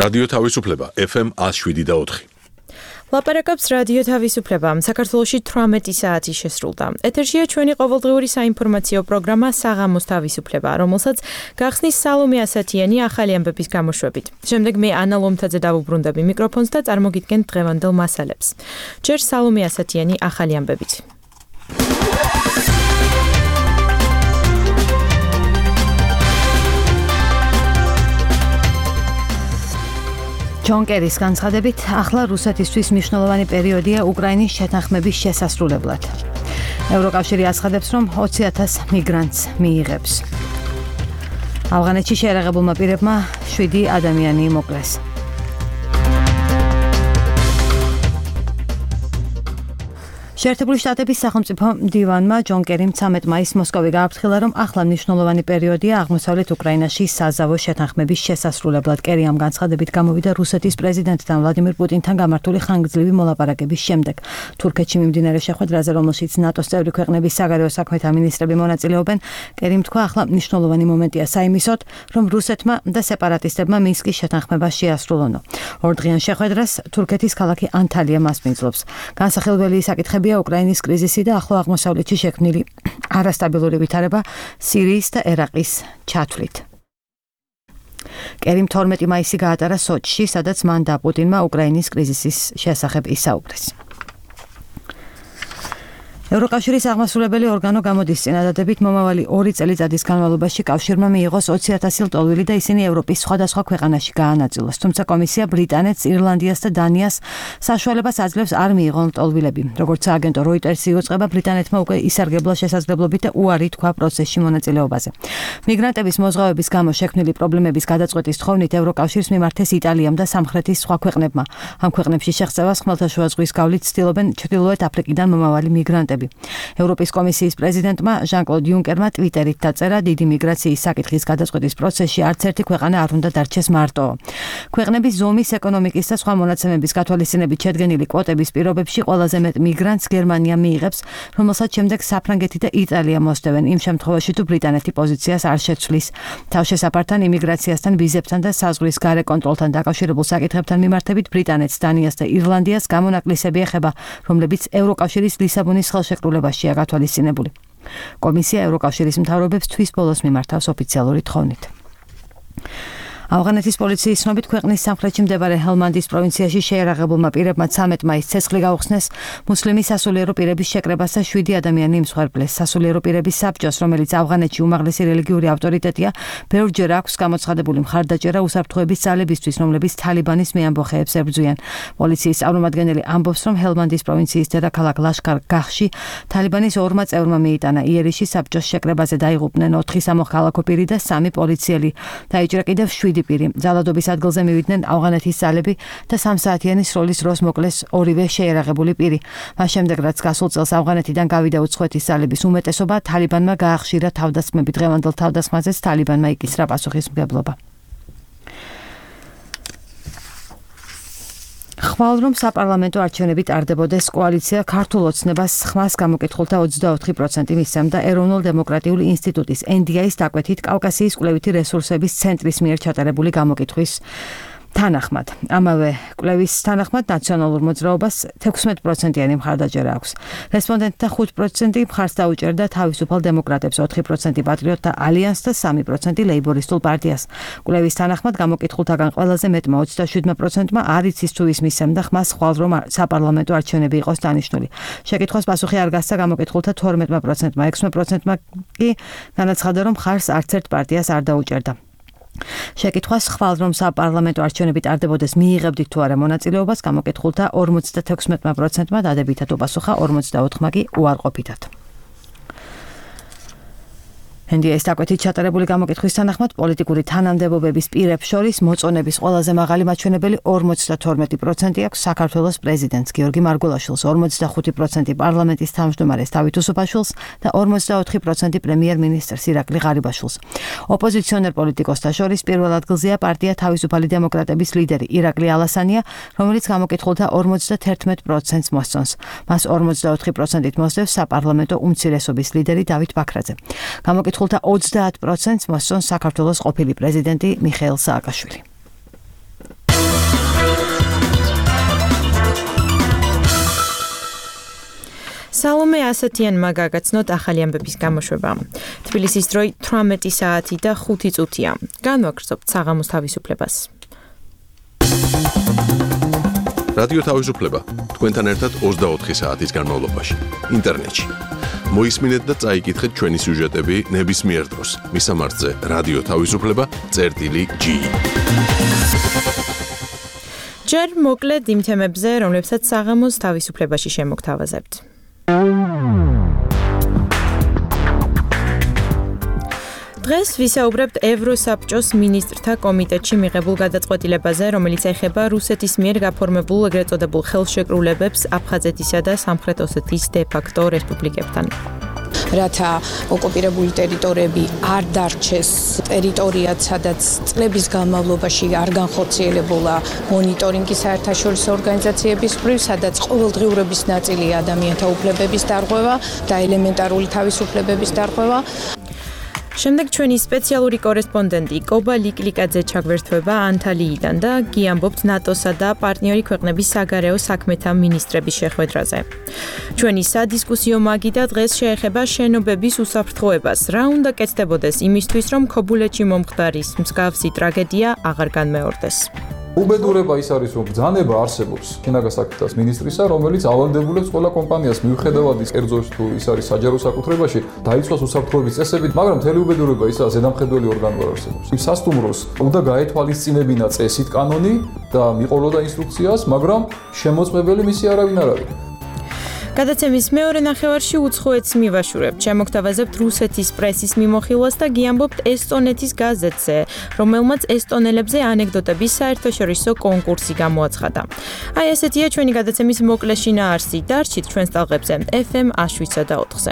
რადიო თავისუფლება FM 107.4. ლაპარაკობს რადიო თავისუფლება. საქართველოში 18 საათი შესრულდა. ეთერშია ჩვენი ყოველდღიური საინფორმაციო პროგრამა საღამოს თავისუფლება, რომელსაც გახსნის სალომე ასათიანი ახალი ამბების გამოშვებით. შემდეგ მე ანა ლომთაძე დავუბრუნდები მიკროფონს და წარმოგიდგენთ დღევანდელ მასალებს. ჯერ სალომე ასათიანი ახალი ამბებით. ჯონ კერის განცხადებით, ახლა რუსეთისთვის მნიშვნელოვანი პერიოდია უკრაინის შეთანხმების შესასრულებლად. ევროკავშირი აცხადებს, რომ 20,000 მიგრანტს მიიღებს. ავღანეთში შეერაღებულმა პირებმა 7 ადამიანი მოკლეს. შეერთებული შტატების სახელმწიფო მდივანმა ჯონ კერიმ 13 მაისს მოსკოვი გააფრთხილა, რომ ახლა მნიშვნელოვანი პერიოდია აღმოსავლეთ უკრაინაში საზავო შეთანხმების შესასრულებლად. კერი ამ განცხადებით გამოვიდა რუსეთის პრეზიდენტთან ვლადიმირ პუტინთან გამართული ხანგრძლივი მოლაპარაკების შემდეგ. თურქეთში მიმდინარე შეხვედრაზე, რომელშიც ნატოს წევრი ქვეყნების საგარეო საქმეთა მინისტრები მონაწილეობენ, კერიმ თქვა, ახლა მნიშვნელოვანი მომენტია საიმისოდ, რომ რუსეთმა და სეპარატისტებმა მინსკის შეთანხმება შეასრულონო. ორდღიან შეხვედრას თურქეთის ქალაქი ანტალია მასპინძლობს. განსახილველი საკითხები უკრაინის კრიზისი და ახლო აღმოსავლეთში შექმნილი არასტაბილური ვითარება სირიის და ერაყის ჩათვლით. კერიმ 12 მაისი გაატარა სოჩში, სადაც მან და პუტინმა უკრაინის კრიზისის შესახებ ისაუბრეს. ევროკავშირის აღმასრულებელი ორგანო გამოდის წინადადებით მომავალი 2 წელიწადის განმავლობაში კავშირმა მიიღოს 20,000 ლტოლვილი და ისინი ევროპის სხვადასხვა ქვეყანაში გაანაწილოს. თუმცა კომისია ბრიტანეთს, ირლანდიას და დანიას საშუალებას აძლევს არ მიიღონ ლტოლვილები. როგორც აგენტო როიტერსი იუწყება, ბრიტანეთმა უკვე ისარგებლა შესაძლებლობით და უარი თქვა პროცესში მონაწილეობაზე. მიგრანტების მოზღვავების გამო შექმნილი პრობლემების გადაწყვეტის თხოვნით ევროკავშირს მიმართეს იტალიამ და სამხრეთის სხვა ქვეყნებმა. ამ ქვეყნებში შეღწევას ხმელთაშუა ზღვის გავლით ცდილობენ ჩრდილოეთ აფრიკიდან მომავალი მიგრანტები. ევროპის კომისიის პრეზიდენტმა ჟან-კლოდ იუნკერმა ტვიტერით დაწერა, დიდი მიგრაციის საკითხის გადაწყვეტის პროცესში არც ერთი ქვეყანა არ უნდა დარჩეს მარტო. ქვეყნების ზომის, ეკონომიკის და სხვა მონაცემების გათვალისწინებით შედგენილი კვოტების პირობებში ყველაზე მეტ მიგრანტს გერმანია მიიღებს, რომელსაც შემდეგ საფრანგეთი და იტალია მოსდევენ, იმ შემთხვევაში თუ ბრიტანეთი პოზიციას არ შეცვლის. თავშესაფართან, იმიგრაციასთან, ვიზებთან და საზღვრის გარე კონტროლთან დაკავშირებულ საკითხებთან მიმართებით ბრიტანეთს, დანიას და ირლანდიას გამონაკლისები ეხება, რომლებიც ევროკავშირის ლისაბონის ხელშეკრულებაშია გათვალისწინებული. კომისია ევროკავშირის მთავრობებს თვის ბოლოს მიმართავს ოფიციალური თხოვნით. ავღანეთის პოლიციის ცნობით ქვეყნის სამხრეთში მდებარე ჰელმანდის პროვინციაში შეერაღებულმა პირებმა 13 მაისს ცეცხლი გაუხსნეს მუსლიმი სასულიერო პირების შეკრებას და 7 ადამიანი იმსხვერპლეს. სასულიერო პირების საბჭოს, რომელიც ავღანეთში უმაღლესი რელიგიური ავტორიტეტია, ბევრჯერ აქვს გამოცხადებული მხარდაჭერა უსაფრთხოების ძალებისთვის, რომლებიც თალიბანის მეამბოხეებს ებრძვიან. პოლიციის წარმომადგენელი ამბობს, რომ ჰელმანდის პროვინციის დედაქალაქ ლაშქარ-გაჰში თალიბანის 2 წევრმა მიიტანა იერიში საბჭოს შეკრებაზე დაიღუპნენ 4 სამოქალაქო პირი და 3 პოლიციელი. დაიჭრა კიდევ 7 პირი. ძალადობის ადგილზე მივიდნენ ავღანეთის ძალები და 3 საათიანი სროლის დროს მოკლეს ორივე შეერაღებული პირი. მას შემდეგ, რაც გასულ წელს ავღანეთიდან გავიდა უცხოეთის ძალების უმეტესობა, თალიბანმა გაახშირა თავდასხმები. დღევანდელ თავდასხმაზეც თალიბანმა იკისრა პასუხისმგებლობა. ხვალ რომ საპარლამენტო არჩევნები ტარდებოდეს, კოალიცია ქართულ ოცნებას ხმას გამოკითხულთა 24% მისცემდა ეროვნულ დემოკრატიული ინსტიტუტის NDI-ის დაკვეთით კავკასიის კვლევითი რესურსების ცენტრის მიერ ჩატარებული გამოკითხვის თანახმად. ამავე კვლევის თანახმად ნაციონალურ მოძრაობას 16%-იანი მხარდაჭერა აქვს. რესპონდენტთა 5% მხარს დაუჭერდა თავისუფალ დემოკრატებს, 4% პატრიოტთა ალიანსს და 3% ლეიბორისტულ პარტიას. კვლევის თანახმად გამოკითხულთაგან ყველაზე მეტმა 27%-მა არ იცის თუ ის მისცემდა ხმას ხვალ რომ საპარლამენტო არჩევნები იყოს დანიშნული. შეკითხვას პასუხი არ გასცა გამოკითხულთა 12%-მა, 6%-მა კი განაცხადა, რომ ხარს არც ერთ პარტიას არ დაუჭერდა. შეკითხვას ხვალ რომ საპარლამენტო არჩევნები ტარდებოდეს მიიღებდით თუ არა მონაწილეობას, გამოკითხულთა 56%-მა დადებითად უპასუხა, 44%-მა კი უარყოფითად. NDI-ის დაკვეთით ჩატარებული გამოკითხვის თანახმად პოლიტიკური თანამდებობების პირებს შორის მოწონების ყველაზე მაღალი მაჩვენებელი 52% აქვს საქართველოს პრეზიდენტს გიორგი მარგულაშვილს, 45% პარლამენტის თავმჯდომარეს დავით უსუფაშვილს და 44% პრემიერ-მინისტრს ირაკლი ღარიბაშვილს. ოპოზიციონერ პოლიტიკოსთა შორის პირველ ადგილზეა პარტია თავისუფალი დემოკრატების ლიდერი ირაკლი ალასანია, რომელიც გამოკითხულთა 51%-ს მოსწონს. მას 44%-ით მოსდევს საპარლამენტო უმცირესობის ლიდერი დავით ბაქრაძე. კითხულთა 30%-ს მოსწონს საქართველოს ყოფილი პრეზიდენტი მიხეილ სააკაშვილი. სალომე ასათიანმა გაგაცნოთ ახალი ამბების გამოშვება. თბილისის დროი 18 საათი და 5 წუთია. განვაგრძობთ საღამოს თავისუფლებას. რადიო თავისუფლება თქვენთან ერთად 24 საათის განმავლობაში ინტერნეტში. მოისმინეთ და წაიკითხეთ ჩვენი სიუჟეტები ნებისმიერ დროს. მისამართზე რადიო თავისუფლება.gi. ჯერ მოკლედ იმ თემებზე, რომლებსაც საღამოს თავისუფლებაში შემოგთავაზებთ. დღეს ვისაუბრებთ ევროსაბჭოს მინისტრთა კომიტეტში მიღებულ გადაწყვეტილებაზე, რომელიც ეხება რუსეთის მიერ გაფორმებულ ეგრეთ წოდებულ ხელშეკრულებებს აფხაზეთისა და სამხრეთ ოსეთის დე-ფაქტო რესპუბლიკებთან. რათა ოკუპირებული ტერიტორიები არ დარჩეს ტერიტორიად, სადაც წლების განმავლობაში არ განხორციელებულა მონიტორინგი საერთაშორისო ორგანიზაციების მხრივ, სადაც ყოველდღიურობის ნაწილია ადამიანთა უფლებების დარღვევა და ელემენტარული თავისუფლებების დარღვევა. შემდეგ ჩვენი სპეციალური კორესპონდენტი კობა ლიკლიკაძე ჩაგვერთვება ანტალიიდან და გიამბობთ ნატოსა და პარტნიორი ქვეყნების საგარეო საქმეთა მინისტრების შეხვედრაზე. ჩვენი სადისკუსიო მაგიდა დღეს შეეხება შენობების უსაფრთხოებას. რა უნდა კეთდებოდეს იმისთვის, რომ ქობულეთში მომხდარის მსგავსი ტრაგედია აღარ განმეორდეს. უბედურება ის არის, რომ ბრძანება არსებობს შინაგან საქმეთა მინისტრისა, რომელიც ავალდებულებს ყველა კომპანიას მიუხედავად ის კერძოს თუ ის არის საჯარო საკუთრებაში, დაიცვას უსაფრთხოების წესებით, მაგრამ მთელი უბედურება ისაა, ზედამხედველი ორგანო არ არსებობს. სასტუმროს უნდა გაეთვალისწინებინა წესით კანონი და მიყოლოდა ინსტრუქციას, მაგრამ შემოწმებელი მისი არავინ არ არის. გადაცემის მეორე ნახევარში უცხოეთს მივაშურებთ. შემოგთავაზებთ რუსეთის პრესის მიმოხილვას და გიამბობთ ესტონეთის გაზეთზე, რომელმაც ესტონელებზე ანეკდოტების საერთაშორისო კონკურსი გამოაცხადა. აი ესეთია ჩვენი გადაცემის მოკლე შინაარსი. დარჩით ჩვენს ტალღებზე FM 107.4-ზე.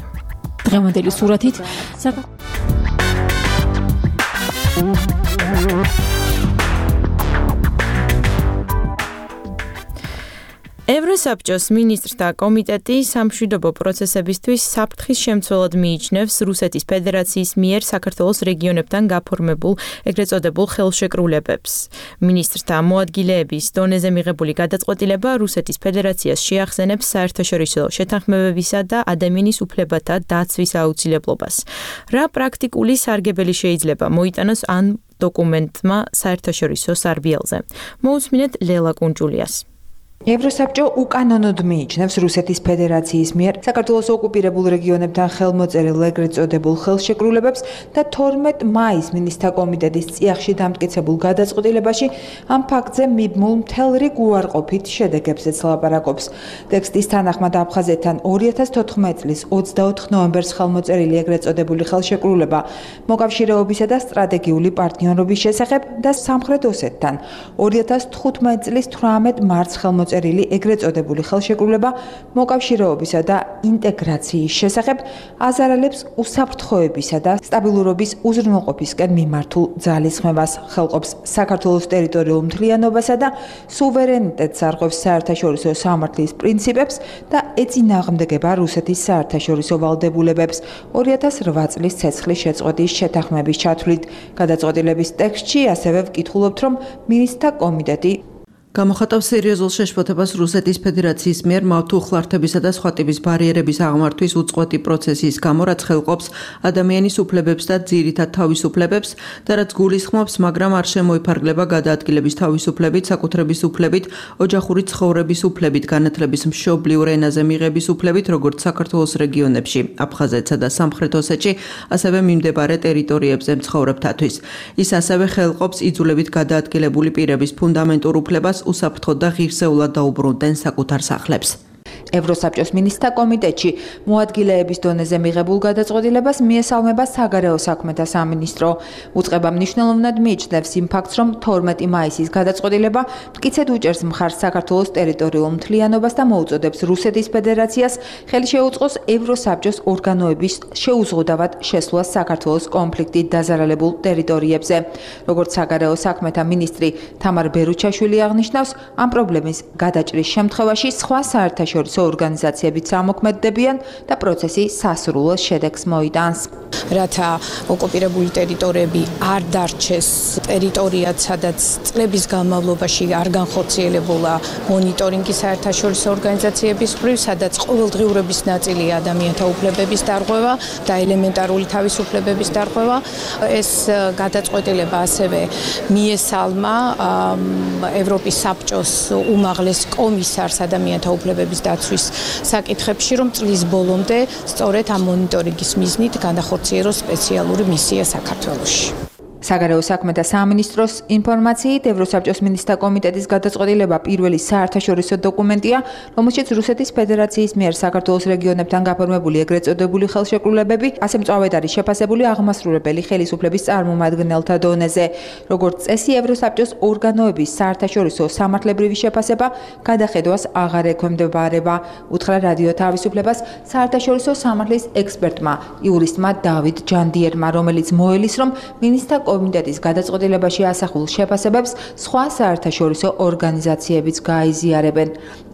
დღევანდელი სურათით ევროსაბჭოს მინისტრთა კომიტეტი სამშვიდობო პროცესებისთვის საფრთხის შემცველად მიიჩნევს რუსეთის ფედერაციის მიერ საქართველოს რეგიონებთან გაფორმებულ ეგრეთ წოდებულ ხელშეკრულებებს. მინისტრთა მოადგილეების დონეზე მიღებული გადაწყვეტილება რუსეთის ფედერაციას შეახსენებს საერთაშორისო შეთანხმებებისა და ადამიანის უფლებათა დაცვის აუცილებლობას. რა პრაქტიკული სარგებელი შეიძლება მოიტანოს ამ დოკუმენტმა საერთაშორისო სარბიელზე? მოусმინეთ ლელა კუნჯულიას. ევროსაბჭო უკანონოდ მიიჩნევს რუსეთის ფედერაციის მიერ საქართველოს ოკუპირებულ რეგიონებთან ხელმოწერილ ეგრეთ წოდებულ ხელშეკრულებებს და 12 მაისს მინისტრთა კომიტეტის წიაღში დამტკიცებულ გადაწყვეტილებაში ამ ფაქტზე მიბმულ მთელ რიგ უარყოფით შედეგებზეც ლაპარაკობს. ტექსტის თანახმად აფხაზეთთან 2014 წლის 24 ნოემბერს ხელმოწერილი ეგრეთ წოდებული ხელშეკრულება მოკავშირეობისა და სტრატეგიული პარტნიორობის შესახებ და სამხრეთ ოსეთთან 2015 წლის 18 მარტს ხელმოწერილი ეგრეთ წოდებული ხელშეკრულება მოკავშირეობისა და ინტეგრაციის შესახებ აზარალებს უსაფრთხოებისა და სტაბილურობის უზრუნველყოფისკენ მიმართულ ძალისხმევას, ხელყოფს საქართველოს ტერიტორიულ მთლიანობასა და სუვერენიტეტს, არღვევს საერთაშორისო სამართლის პრინციპებს და ეწინააღმდეგება რუსეთის საერთაშორისო ვალდებულებებს 2008 წლის ცეცხლის შეწყვეტის შეთანხმების ჩათვლით. გადაწყვეტილების ტექსტში ასევე ვკითხულობთ, რომ მინისტრთა კომიტეტი გამოხატავს სერიოზულ შეშფოთებას რუსეთის ფედერაციის მიერ მავთუხლართებისა და სხვა ტიპის ბარიერების აღმართვის უწყვეტი პროცესის გამო, რაც ხელყოფს ადამიანის უფლებებს და ძირითად თავისუფლებებს და რაც გულისხმობს, მაგრამ არ შემოიფარგლება გადაადგილების თავისუფლებით, საკუთრების უფლებით, ოჯახური ცხოვრების უფლებით, განათლების მშობლიურ ენაზე მიღების უფლებით, როგორც საქართველოს რეგიონებში, აფხაზეთსა და სამხრეთ ოსეთში, ასევე მიმდებარე ტერიტორიებზე მცხოვრებთათვის. ის ასევე ხელყოფს იძულებით გადაადგილებული პირების ფუნდამენტურ უფლებას უსაფრთხოდ და ღირსეულად დაუბრუნდნენ საკუთარ სახლებს. ევროსაბჭოს მინისტრთა კომიტეტში მოადგილეების დონეზე მიღებულ გადაწყვეტილებას მიესალმება საგარეო საქმეთა სამინისტრო. უწყება მნიშვნელოვნად მიიჩნევს იმ ფაქტს, რომ 12 მაისის გადაწყვეტილება მტკიცედ უჭერს მხარს საქართველოს ტერიტორიულ მთლიანობას და მოუწოდებს რუსეთის ფედერაციას ხელი შეუწყოს ევროსაბჭოს ორგანოების შეუზღუდავად შესვლას საქართველოს კონფლიქტით დაზარალებულ ტერიტორიებზე. როგორც საგარეო საქმეთა მინისტრი თამარ ბერუჩაშვილი აღნიშნავს, ამ პრობლემის გადაჭრის შემთხვევაში სხვა საერთაშორისო საერთაშორისო ორგანიზაციებიც ამოქმედდებიან და პროცესი სასრულ შედეგს მოიტანს. რათა ოკუპირებული ტერიტორიები არ დარჩეს ტერიტორიად, სადაც წლების განმავლობაში არ განხორციელებულა მონიტორინგი საერთაშორისო ორგანიზაციების მხრივ, სადაც ყოველდღიურობის ნაწილია ადამიანთა უფლებების დარღვევა და ელემენტარული თავისუფლებების დარღვევა. ეს გადაწყვეტილება ასევე მიესალმა ევროპის საბჭოს უმაღლეს კომისარს ადამიანთა უფლებების დაცვის საკითხებში, რომ წლის ბოლომდე სწორედ ამ მონიტორინგის მიზნით განახორციელოს სპეციალური მისია საქართველოში. საგარეო საქმეთა სამინისტროს ინფორმაციით, ევროსაბჭოს მინისტრთა კომიტეტის გადაწყვეტილება პირველი საერთაშორისო დოკუმენტია, რომელშიც რუსეთის ფედერაციის მიერ საქართველოს რეგიონებთან გაფორმებული ეგრეთ წოდებული ხელშეკრულებები, ასე მწვავედ არის შეფასებული აღმასრულებელი ხელისუფლების წარმომადგენელთა დონეზე. როგორც წესი, ევროსაბჭოს ორგანოების საერთაშორისო სამართლებრივი შეფასება გადახედვას აღარ ექვემდებარება, უთხრა რადიო თავისუფლებას საერთაშორისო სამართლის ექსპერტმა, იურისტმა დავით ჯანდიერმა, რომელიც მოელის, რომ მინისტრთა კომიტეტის გადაწყვეტილებაში ასახულ შეფასებებს სხვა საერთაშორისო ორგანიზაციებიც გაიზიარებენ.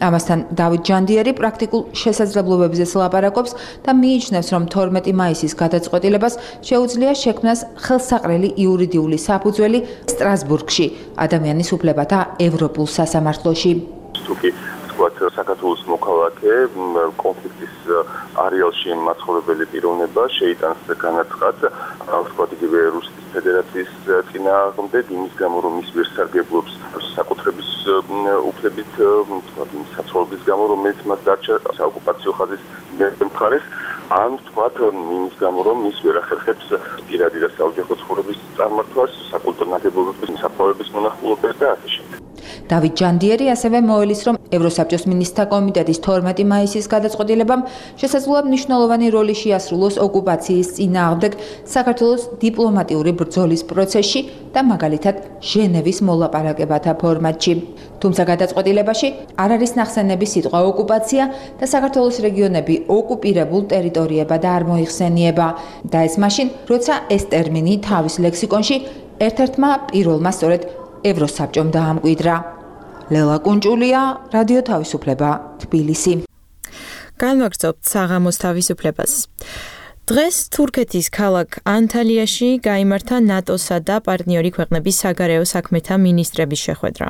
ამასთან დავით ჯანდიერი პრაქტიკულ შესაძლებლობებზეც ლაპარაკობს და მიიჩნევს, რომ 12 მაისის გადაწყვეტილებას შეუძლია შექმნას ხელსაყრელი იურიდიული საფუძველი სტრასბურგში, ადამიანის უფლებათა ევროპულ სასამართლოში. საქართველოს მოქალაქე კონფლიქტის არეალში მაცხოვრებელი პიროვნება შეიტანს განაცხად, ვთქვათ, იგივე რუსეთის ფედერაციის წინააღმდეგ, იმის გამო, რომ ის ვერ სარგებლობს საკუთრების უფლებით, ვთქვათ, იმ საცხოვრების გამო, რომელიც მას დარჩა საოკუპაციო ხაზის მხარეს, ან ვთქვათ, იმის გამო, რომ ის ვერ ახერხებს პირადი და საოჯახო ცხოვრების წარმართვას, საკულტურო ნაგებობების, საფლავების მონახულობას და ასე შემდეგ. დავით ჯანდიერი ასევე მოელის, რომ ევროსაბჭოს მინისტრთა კომიტეტის 12 მაისის გადაწყვეტილებამ შესაძლოა მნიშვნელოვანი როლი შეასრულოს ოკუპაციის წინააღმდეგ საქართველოს დიპლომატიური ბრძოლის პროცესში და მაგალითად ჟენევის მოლაპარაკებათა ფორმატში. თუმცა გადაწყვეტილებაში არ არის ნახსენები სიტყვა ოკუპაცია და საქართველოს რეგიონები ოკუპირებულ ტერიტორიებად არ მოიხსენიება და ეს მაშინ, როცა ეს ტერმინი თავის ლექსიკონში ერთ-ერთმა პირველმა სწორედ ევროსაბჭომ დაამკვიდრა. ლელა კუნჭულია, რადიო თავისუფლება, თბილისი. განვაგრძობთ საღამოს თავისუფლებას. დღეს თურქეთის ქალაქ ანტალიაში გაიმართა ნატოსა და პარტნიორი ქვეყნების საგარეო საქმეთა მინისტრების შეხვედრა.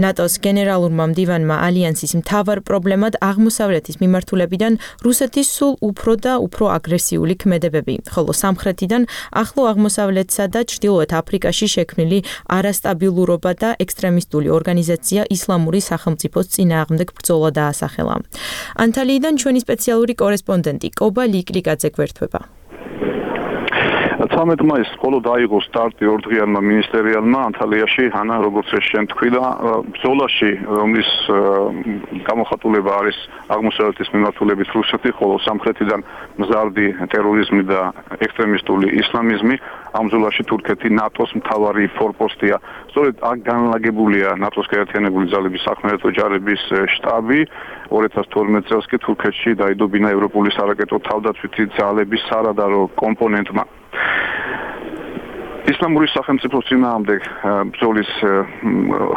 ნატოს გენერალურმა მდივანმა ალიანსის მთავარ პრობლემად აღმოსავლეთის მიმართულებიდან რუსეთის სულ უფრო და უფრო აგრესიული ქმედებები, ხოლო სამხრეთიდან ახლო აღმოსავლეთსა და ჩრდილოეთ აფრიკაში შექმნილი არასტაბილურობა და ექსტრემისტული ორგანიზაცია ისლამური სახელმწიფოს წინააღმდეგ ბრძოლა დაასახელა. ანტალიიდან ჩვენი სპეციალური კორესპონდენტი კობა ლიკლიკაძე გვერდება. 13 მაისს მხოლოდ დაიღო სტარტი ორდღიანმა მინისტერიალმა ანტალიაში, ანა როგორც ეს შენ თქვი და ბრძოლაში, რომლის გამოხატულება არის აღმოსავლეთის მიმართულებით რუსეთი, ხოლო სამხრეთიდან მზარდი ტერორიზმი და ექსტრემისტული ისლამიზმი, ამ ბრძოლაში თურქეთი ნატოს მთავარი ფორპოსტია. სწორედ აქ განლაგებულია ნატოს გაერთიანებული ძალების სახმელეთო ჯარების შტაბი. 2012 წელს კი თურქეთში დაიდობინა ევროპული სარაკეტო თავდაცვითი ძალების სარადარო კომპონენტმა. ისლამური სახელმწიფოს წინააღმდეგ ბრძოლის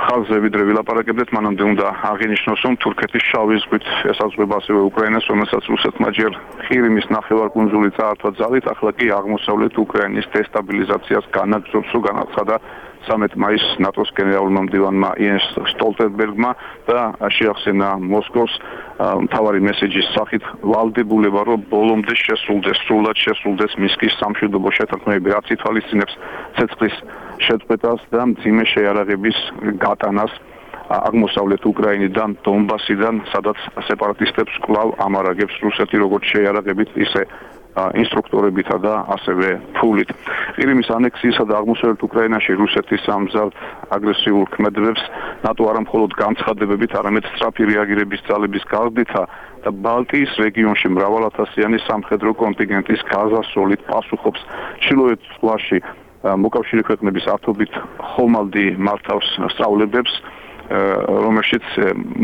ხაზზე ვიდრე ვილაპარაკებდეთ, მანამდე უნდა აღინიშნოს, რომ თურქეთის შავი ზღვით ესაზღვრება ასევე უკრაინას, რომელსაც რუსეთმა ჯერ ყირიმის ნახევარკუნძული წაართვა ძალით, ახლა კი აღმოსავლეთ უკრაინის დესტაბილიზაციას განაგრძობს, რომ განაცხადა 13 მაისს ნატოს გენერალურმა მდივანმა იენს სტოლტენბერგმა და შეახსენა მოსკოვს მთავარი მესეჯის სახით ვალდებულება, რომ ბოლომდე სრულად შესრულდეს მინსკის სამშვიდობო შეთანხმებები, რაც ითვალისწინებს ცეცხლის შეწყვეტას და მძიმე შეიარაღების გატანას აღმოსავლეთ უკრაინიდან, დონბასიდან, სადაც სეპარატისტებს კვლავ ამარაგებს რუსეთი როგორც შეიარაღებით, ისე ინსტრუქტორებითა და ასევე ფულით. ყირიმის ანექსიისა და აღმოსავლეთ უკრაინაში რუსეთის ამზად აგრესიულ ქმედებებს ნატო არა მხოლოდ განცხადებებით, არამედ სწრაფი რეაგირების ძალების გაზრდითა და ბალტიის რეგიონში მრავალათასიანი სამხედრო კონტინგენტის გაზასროლით პასუხობს. ჩრდილოეთ ზღვაში მოკავშირე ქვეყნების ათობით ხომალდი მართავს სწავლებებს, რომელშიც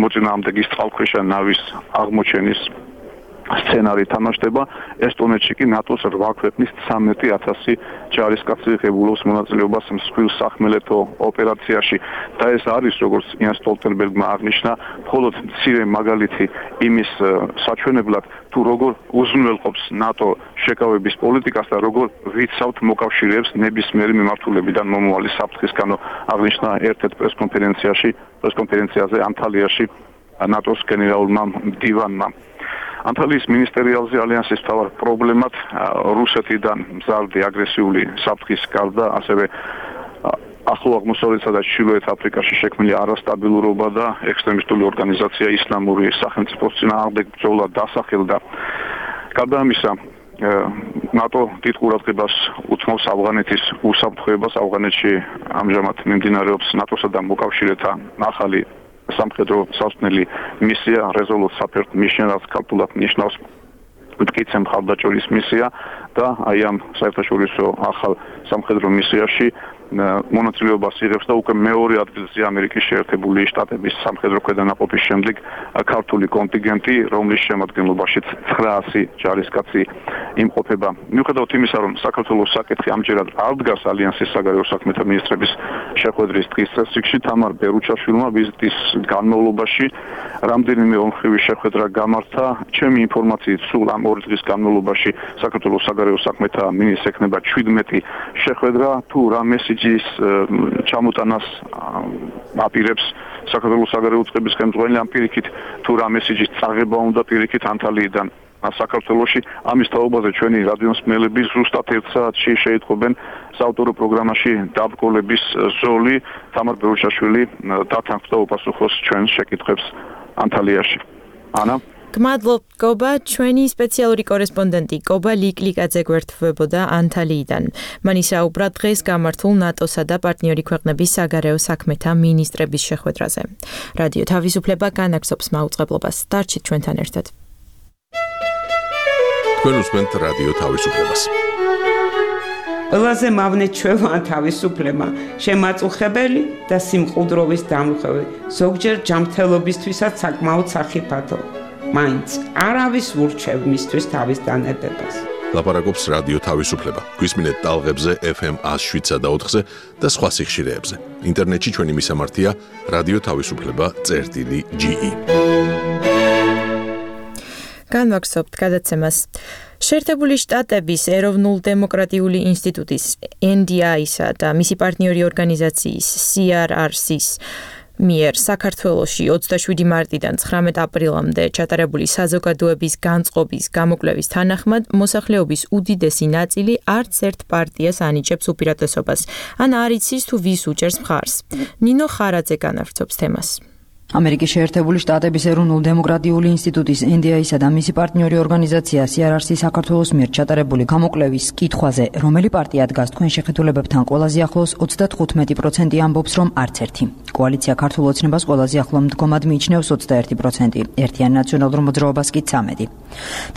მოწინააღმდეგის წყალქვეშა ნავის აღმოჩენის სცენარი თამაშდება. ესტონეთში კი ნატოს 8 ქვეყნის 13,000 ჯარისკაცი ღებულობს მონაწილეობას მსხვილ სახმელეთო ოპერაციაში და ეს არის, როგორც იან სტოლტენბერგმა აღნიშნა, მხოლოდ მცირე მაგალითი იმის საჩვენებლად, თუ როგორ უზრუნველყოფს ნატო შეკავების პოლიტიკას და როგორ ვიცავთ მოკავშირეებს ნებისმიერი მიმართულებიდან მომავალი საფრთხისგანო, აღნიშნა ერთ-ერთ პრესკონფერენციაზე ანტალიაში ნატოს გენერალურმა მდივანმა. ანტალიის მინისტერიალზე ალიანსის მთავარ პრობლემად რუსეთიდან მზარდი აგრესიული საფრთხის გარდა ასევე ახლო აღმოსავლეთსა და ჩრდილოეთ აფრიკაში შექმნილი არასტაბილურობა და ექსტრემისტული ორგანიზაცია ისლამური სახელმწიფოს წინააღმდეგ ბრძოლა დასახელდა. გარდა ამისა, ნატო დიდ ყურადღებას უთმობს ავღანეთის უსაფრთხოებას. ავღანეთში ამჟამად მიმდინარეობს ნატოსა და მოკავშირეთა ახალი სამხედრო სასწავლელი მისია Resolute Support Mission, რაც ქართულად ნიშნავს მტკიცე მხარდაჭერის მისია და აი ამ საერთაშორისო ახალ სამხედრო მისიაში მონაწილეობას იღებს და უკვე მეორე ადგილზე ამერიკის შეერთებული შტატების სამხედრო ქვედანაყოფის შემდეგ ქართული კონტინგენტი, რომლის შემადგენლობაშიც 900 ჯარისკაცი იმყოფება. მიუხედავად იმისა, რომ საქართველოს საკითხი ამჯერად არ დგას ალიანსის საგარეო საქმეთა მინისტრების შეხვედრის დღის წესრიგში, თამარ ბერუჩაშვილმა ვიზიტის განმავლობაში რამდენიმე ომხრივი შეხვედრა გამართა. ჩემი ინფორმაციით, სულ ამ 2 დღის განმავლობაში საქართველოს საგარეო საქმეთა მინისტრს ექნება 17 შეხვედრა. თუ რა მესიჯის ჩამოტანას აპირებს საქართველოს საგარეო წყების ხელმძღვანელი, ამ პირიქით თუ რა მესიჯის წაღება უნდა პირიქით ანტალიიდან საქართველოში, ამის თაობაზე ჩვენი რადიომსმენელები ზუსტად 1 საათში შეიტყობენ საავტორო პროგრამაში დაბრკოლების ზოლი. თამარ ბერუჩაშვილი დათანხმდა და უპასუხოს ჩვენს შეკითხვებს ანტალიაში. ანა გმადლობ გობა, ჩვენი სპეციალური კორესპონდენტი გობა ლიკლიკაძე გვერდთვებოდა ანტალიიდან. მან ისაუბრა დღეს გამართულ ნატოსა და პარტნიორი ქვეყნების საგარეო საქმეთა მინისტრების შეხვედრაზე. რადიო თავისუფლება განაგზობს მაუწყებლობას. დარჩით ჩვენთან ერთად. თქვენ უსმენთ რადიო თავისუფლებას. ყველაზე მავნე ჩვევა თავისუფლება, შემაწუხებელი და სიმყუდროვის დამხევი, ზოგჯერ ჯანმრთელობისთვისაც საკმაოდ სახიფათო. მაინც არავის ურჩევ მისთვის თავის დანებებას. ლაპარაკობს რადიო თავისუფლება. გვისმინეთ ტალღებზე FM 107.4-ზე და სხვა სიხშირეებზე. ინტერნეტში ჩვენი მისამართია radioთავისუფლება.ge. განვაგზობთ გადაცემას. შეერთებული შტატების ეროვნულ-დემოკრატიული ინსტიტუტის NDI-სა და მისი პარტნიორი ორგანიზაციის CRRC-ს მიერ საქართველოში 27 მარტიდან 19 აპრილამდე ჩატარებული საზოგადოების განწყობის გამოკვლევის თანახმად მოსახლეობის უდიდესი ნაწილი არც ერთ პარტიას ანიჭებს უპირატესობას. ან არ იცის თუ ვის უჭერს მხარს. ნინო ხარაძე განავრცობს თემას. ამერიკის შეერთებული შტატების ეროვნულ-დემოკრატიული ინსტიტუტის NDI-სა და მისი პარტნიორი ორგანიზაცია CRRC საქართველოს მიერ ჩატარებული გამოკვლევის კითხვაზე, რომელი პარტია დგას თქვენ შეხედულებებთან ყველაზე ახლოს, 95% ამბობს, რომ არც ერთი. კოალიცია ქართულ ოცნებას ყველაზე ახლო მდგომად მიიჩნევს 21%, ერთიან ნაციონალურ მოძრაობას კი 13%.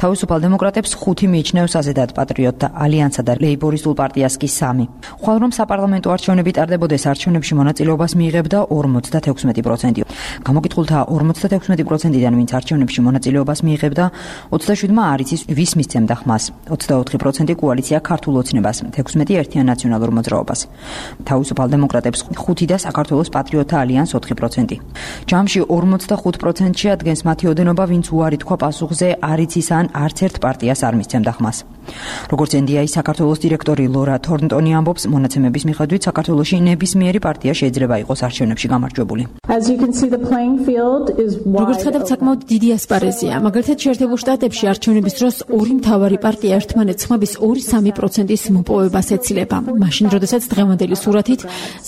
თავისუფალ დემოკრატებს 5 მიიჩნევს აზედად პატრიოტთა ალიანსა და ლეიბორისტულ პარტიას კი 3. ხვალ რომ საპარლამენტო არჩევნები ტარდებოდეს, არჩევნებში მონაწილეობას მიიღებდა 56%. გამოკითხულთა 56%-დან ვინც არჩევნებში მონაწილეობას მიიღებდა, 27-მა არ იცის ვის მისცემდა ხმას, 24% კოალიცია ქართულ ოცნებას, 16 ერთიან ნაციონალურ მოძრაობას. თავისუფალ დემოკრატებს 5 და საქართველოს პატრიოტთა ალიანს 4%. ჯამში 45%-ში ადგენს მათი ოდენობა, ვინც უარი თქვა პასუხზე არ იცის ან არც ერთ პარტიას არ მისცემდა ხმას. როგორც NDI საქართველოს დირექტორი ლორა თორნტონი ამბობს, მონაცემების მიხედვით საქართველოში ნებისმიერი პარტია შეიძლება იყოს არჩევნებში გამარჯვებული. როგორც ხედავთ, საკმაოდ დიდი ასპარეზია. მაგალითად, შეერთებულ შტატებში არჩევნების დროს ორი მთავარი პარტია ერთმანეთს ხმების 2-3%-ის მოპოვებას ეცილება. მაშინ, როდესაც დღევანდელი სურათით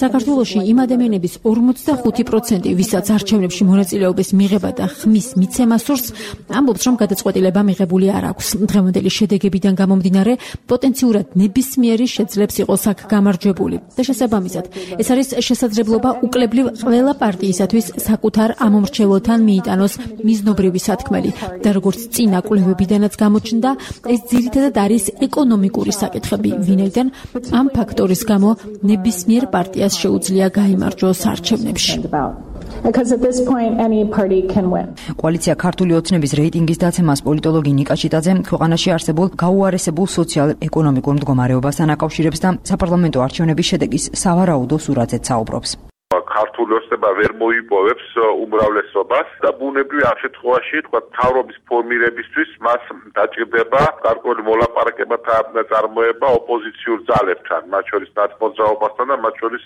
საქართველოში იმ ადამიანების 45%, ვისაც არჩევნებში მონაწილეობის მიღება და ხმის მიცემა სურს, ამბობს, რომ გადაწყვეტილება მიღებული არ აქვს. დღევანდელი შედეგებიდან გამომდინარე, პოტენციურად ნებისმიერი შეძლებს იყოს აქ გამარჯვებული. და შესაბამისად, ეს არის შესაძლებლობა უკლებლივ ყველა პარტიისათვის საკუთარ ამომრჩევლთან მიიტანოს მიზნობრივი სათქმელი და როგორც წინა კვლევებიდანაც გამოჩნდა, ეს ძირითადად არის ეკონომიკური საკითხები, ვინაიდან ამ ფაქტორის გამო ნებისმიერ პარტიას შეუძლია გაიმარჯვოს არჩევნებში. because at this point any party can win. კოალიცია ქართული ოცნების რეიტინგის დაცემას პოლიტოლოგი ნიკა ჭიტაძე ქვეყანაში არსებულ გაუარესებულ სოციალ-ეკონომიკურ მდგომარეობასთან აკავშირებს და საპარლამენტო არჩევნების შედეგის სავარაუდო სურათზეც საუბრობს. ქართული ოცნება ვერ მოიპოვებს უმრავლესობას და ბუნებრივი ამ შემთხვევაში თქვა თავრობის ფორმირებისთვის მას დაჭირდება გარკვეული მოლაპარაკებათა წარმოება ოპოზიციურ ძალებთან, მათ შორის ნაცმოძრაობასთან და მათ შორის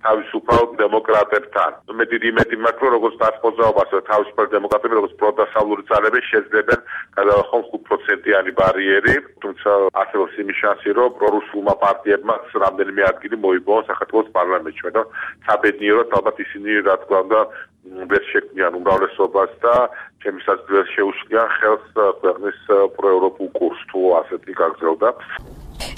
თავისუფალ დემოკრატებთან. მე დიდი იმედი მაქვს, რომ როგორც ნაცმოძრაობას და თავისუფალ დემოკრატები, როგორც პროდასავლური ძალები შეძლებენ გადავახონ 5%-იანი ბარიერი, თუმცა არსებობს იმის შანსი, რომ პრორუსულმა პარტიებმაც რამდენიმე ადგილი მოიპოვონ საქართველოს პარლამენტში და საბედნიეროდ ალბათ ისინი რა თქმა უნდა ვერ შექმნიან უმრავლესობას და ჩემისაც ვერ შეუშლიან ხელს ქვეყნის პროევროპულ კურსს თუ ასეთი გაგრძელდა.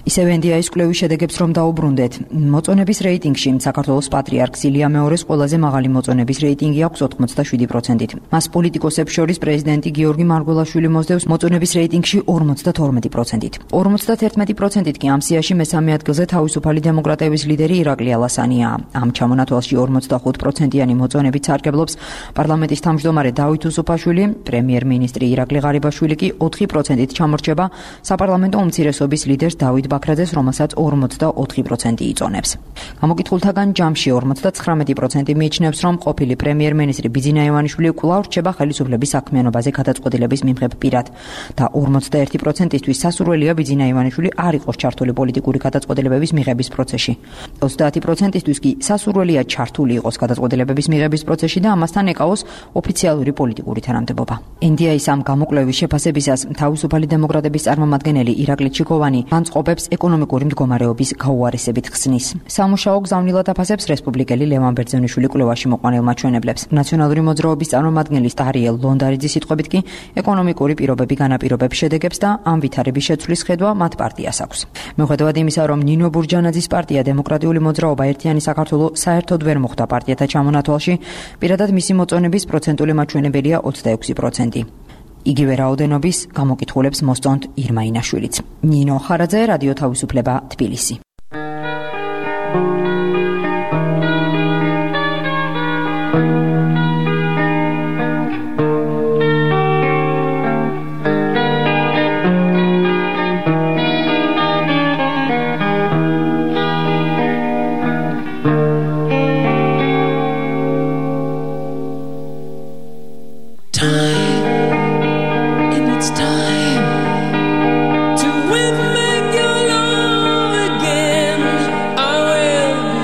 ისევ NDI-ის კვლევის შედეგებს რომ დაუბრუნდეთ, მოწონების რეიტინგში საქართველოს პატრიარქს ილია მეორის ყველაზე მაღალი მოწონების რეიტინგი აქვს 87%-ით. მას პოლიტიკოსებს შორის პრეზიდენტი გიორგი მარგველაშვილი მოსდევს მოწონების რეიტინგში 52%-ით. 51%-ით კი ამ სიაში მესამე ადგილზე თავისუფალი დემოკრატების ლიდერი ირაკლი ალასანია. ამ ჩამონათვალში 45%-იანი მოწონებით სარგებლობს პარლამენტის თავმჯდომარე დავით უსუფაშვილი, პრემიერ-მინისტრი ირაკლი ღარიბაშვილი კი 4%-ით ჩამორჩება საპარლამენტო უმცირესობის ლიდერს დავით ბაქრაძეს, რომელსაც 44% იწონებს. გამოკითხულთაგან ჯამში 59% მიიჩნევს, რომ ყოფილი პრემიერ-მინისტრი ბიძინა ივანიშვილი კვლავ რჩება ხელისუფლების საქმიანობაზე გადაწყვეტილების მიმღებ პირად და 41%-ისთვის სასურველია ბიძინა ივანიშვილი არ იყოს ჩართული პოლიტიკური გადაწყვეტილებების მიღების პროცესში. 30%-ისთვის კი სასურველია ჩართული იყოს გადაწყვეტილებების მიღების პროცესში და ამასთან ეკავოს ოფიციალური პოლიტიკური თანამდებობა. NDI-ის ამ გამოკვლევის შეფასებისას თავისუფალი დემოკრატების წარმომადგენელი ირაკლი ჩიკოვანი განწყობებს ეკონომიკური მდგომარეობის გაუარესებით ხსნის. სამუშაო გზავნილად აფასებს რესპუბლიკელი ლევან ბერძენიშვილი კვლევაში მოყვანილ მაჩვენებლებს. ნაციონალური მოძრაობის წარმომადგენლის ტარიელ ლონდარიძის სიტყვებით კი ეკონომიკური პირობები განაპირობებს შედეგებს და ამ ვითარების შეცვლის ხედვა მათ პარტიას აქვს. მიუხედავად იმისა, რომ ნინო ბურჯანაძის პარტია დემოკრატიული მოძრაობა ერთიანი საქართველო საერთოდ ვერ მოხვდა პარტიათა ჩამონათვალში, პირადად მისი მოწონების პროცენტული მაჩვენებელია 26%. იგივე რაოდენობის გამოკითხულებს მოსწონთ ირმა ინაშვილიც. ნინო ხარაძე, რადიო თავისუფლება, თბილისი. To win back your love again, I will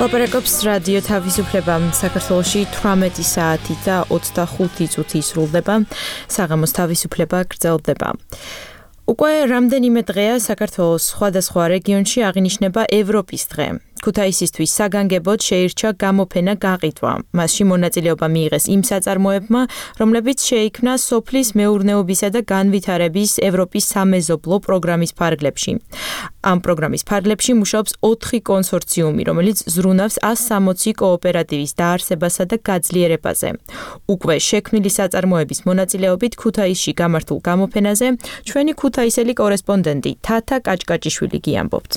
ლაპარაკობს რადიო თავისუფლება. საქართველოში 18 საათი და 25 წუთი ისრულდება. საღამოს თავისუფლება გრძელდება. უკვე რამდენიმე დღეა საქართველოს სხვადასხვა რეგიონში აღინიშნება ევროპის დღე. ქუთაისისთვის საგანგებოდ შეირჩა გამოფენა გაყიდვა. მასში მონაწილეობა მიიღეს იმ საწარმოებმა, რომლებიც შეიქმნა სოფლის მეურნეობისა და განვითარების ევროპის სამეზობლო პროგრამის ფარგლებში. ამ პროგრამის ფარგლებში მუშაობს 4 კონსორციუმი, რომელიც ზრუნავს 160 კოოპერატივის დაარსებასა და გაძლიერებაზე. უკვე შექმნილი საწარმოების მონაწილეობით ქუთაისში გამართულ გამოფენაზე ჩვენი ქუთაისელი კორესპონდენტი თათა კაჭკაჭიშვილი გიამბობთ.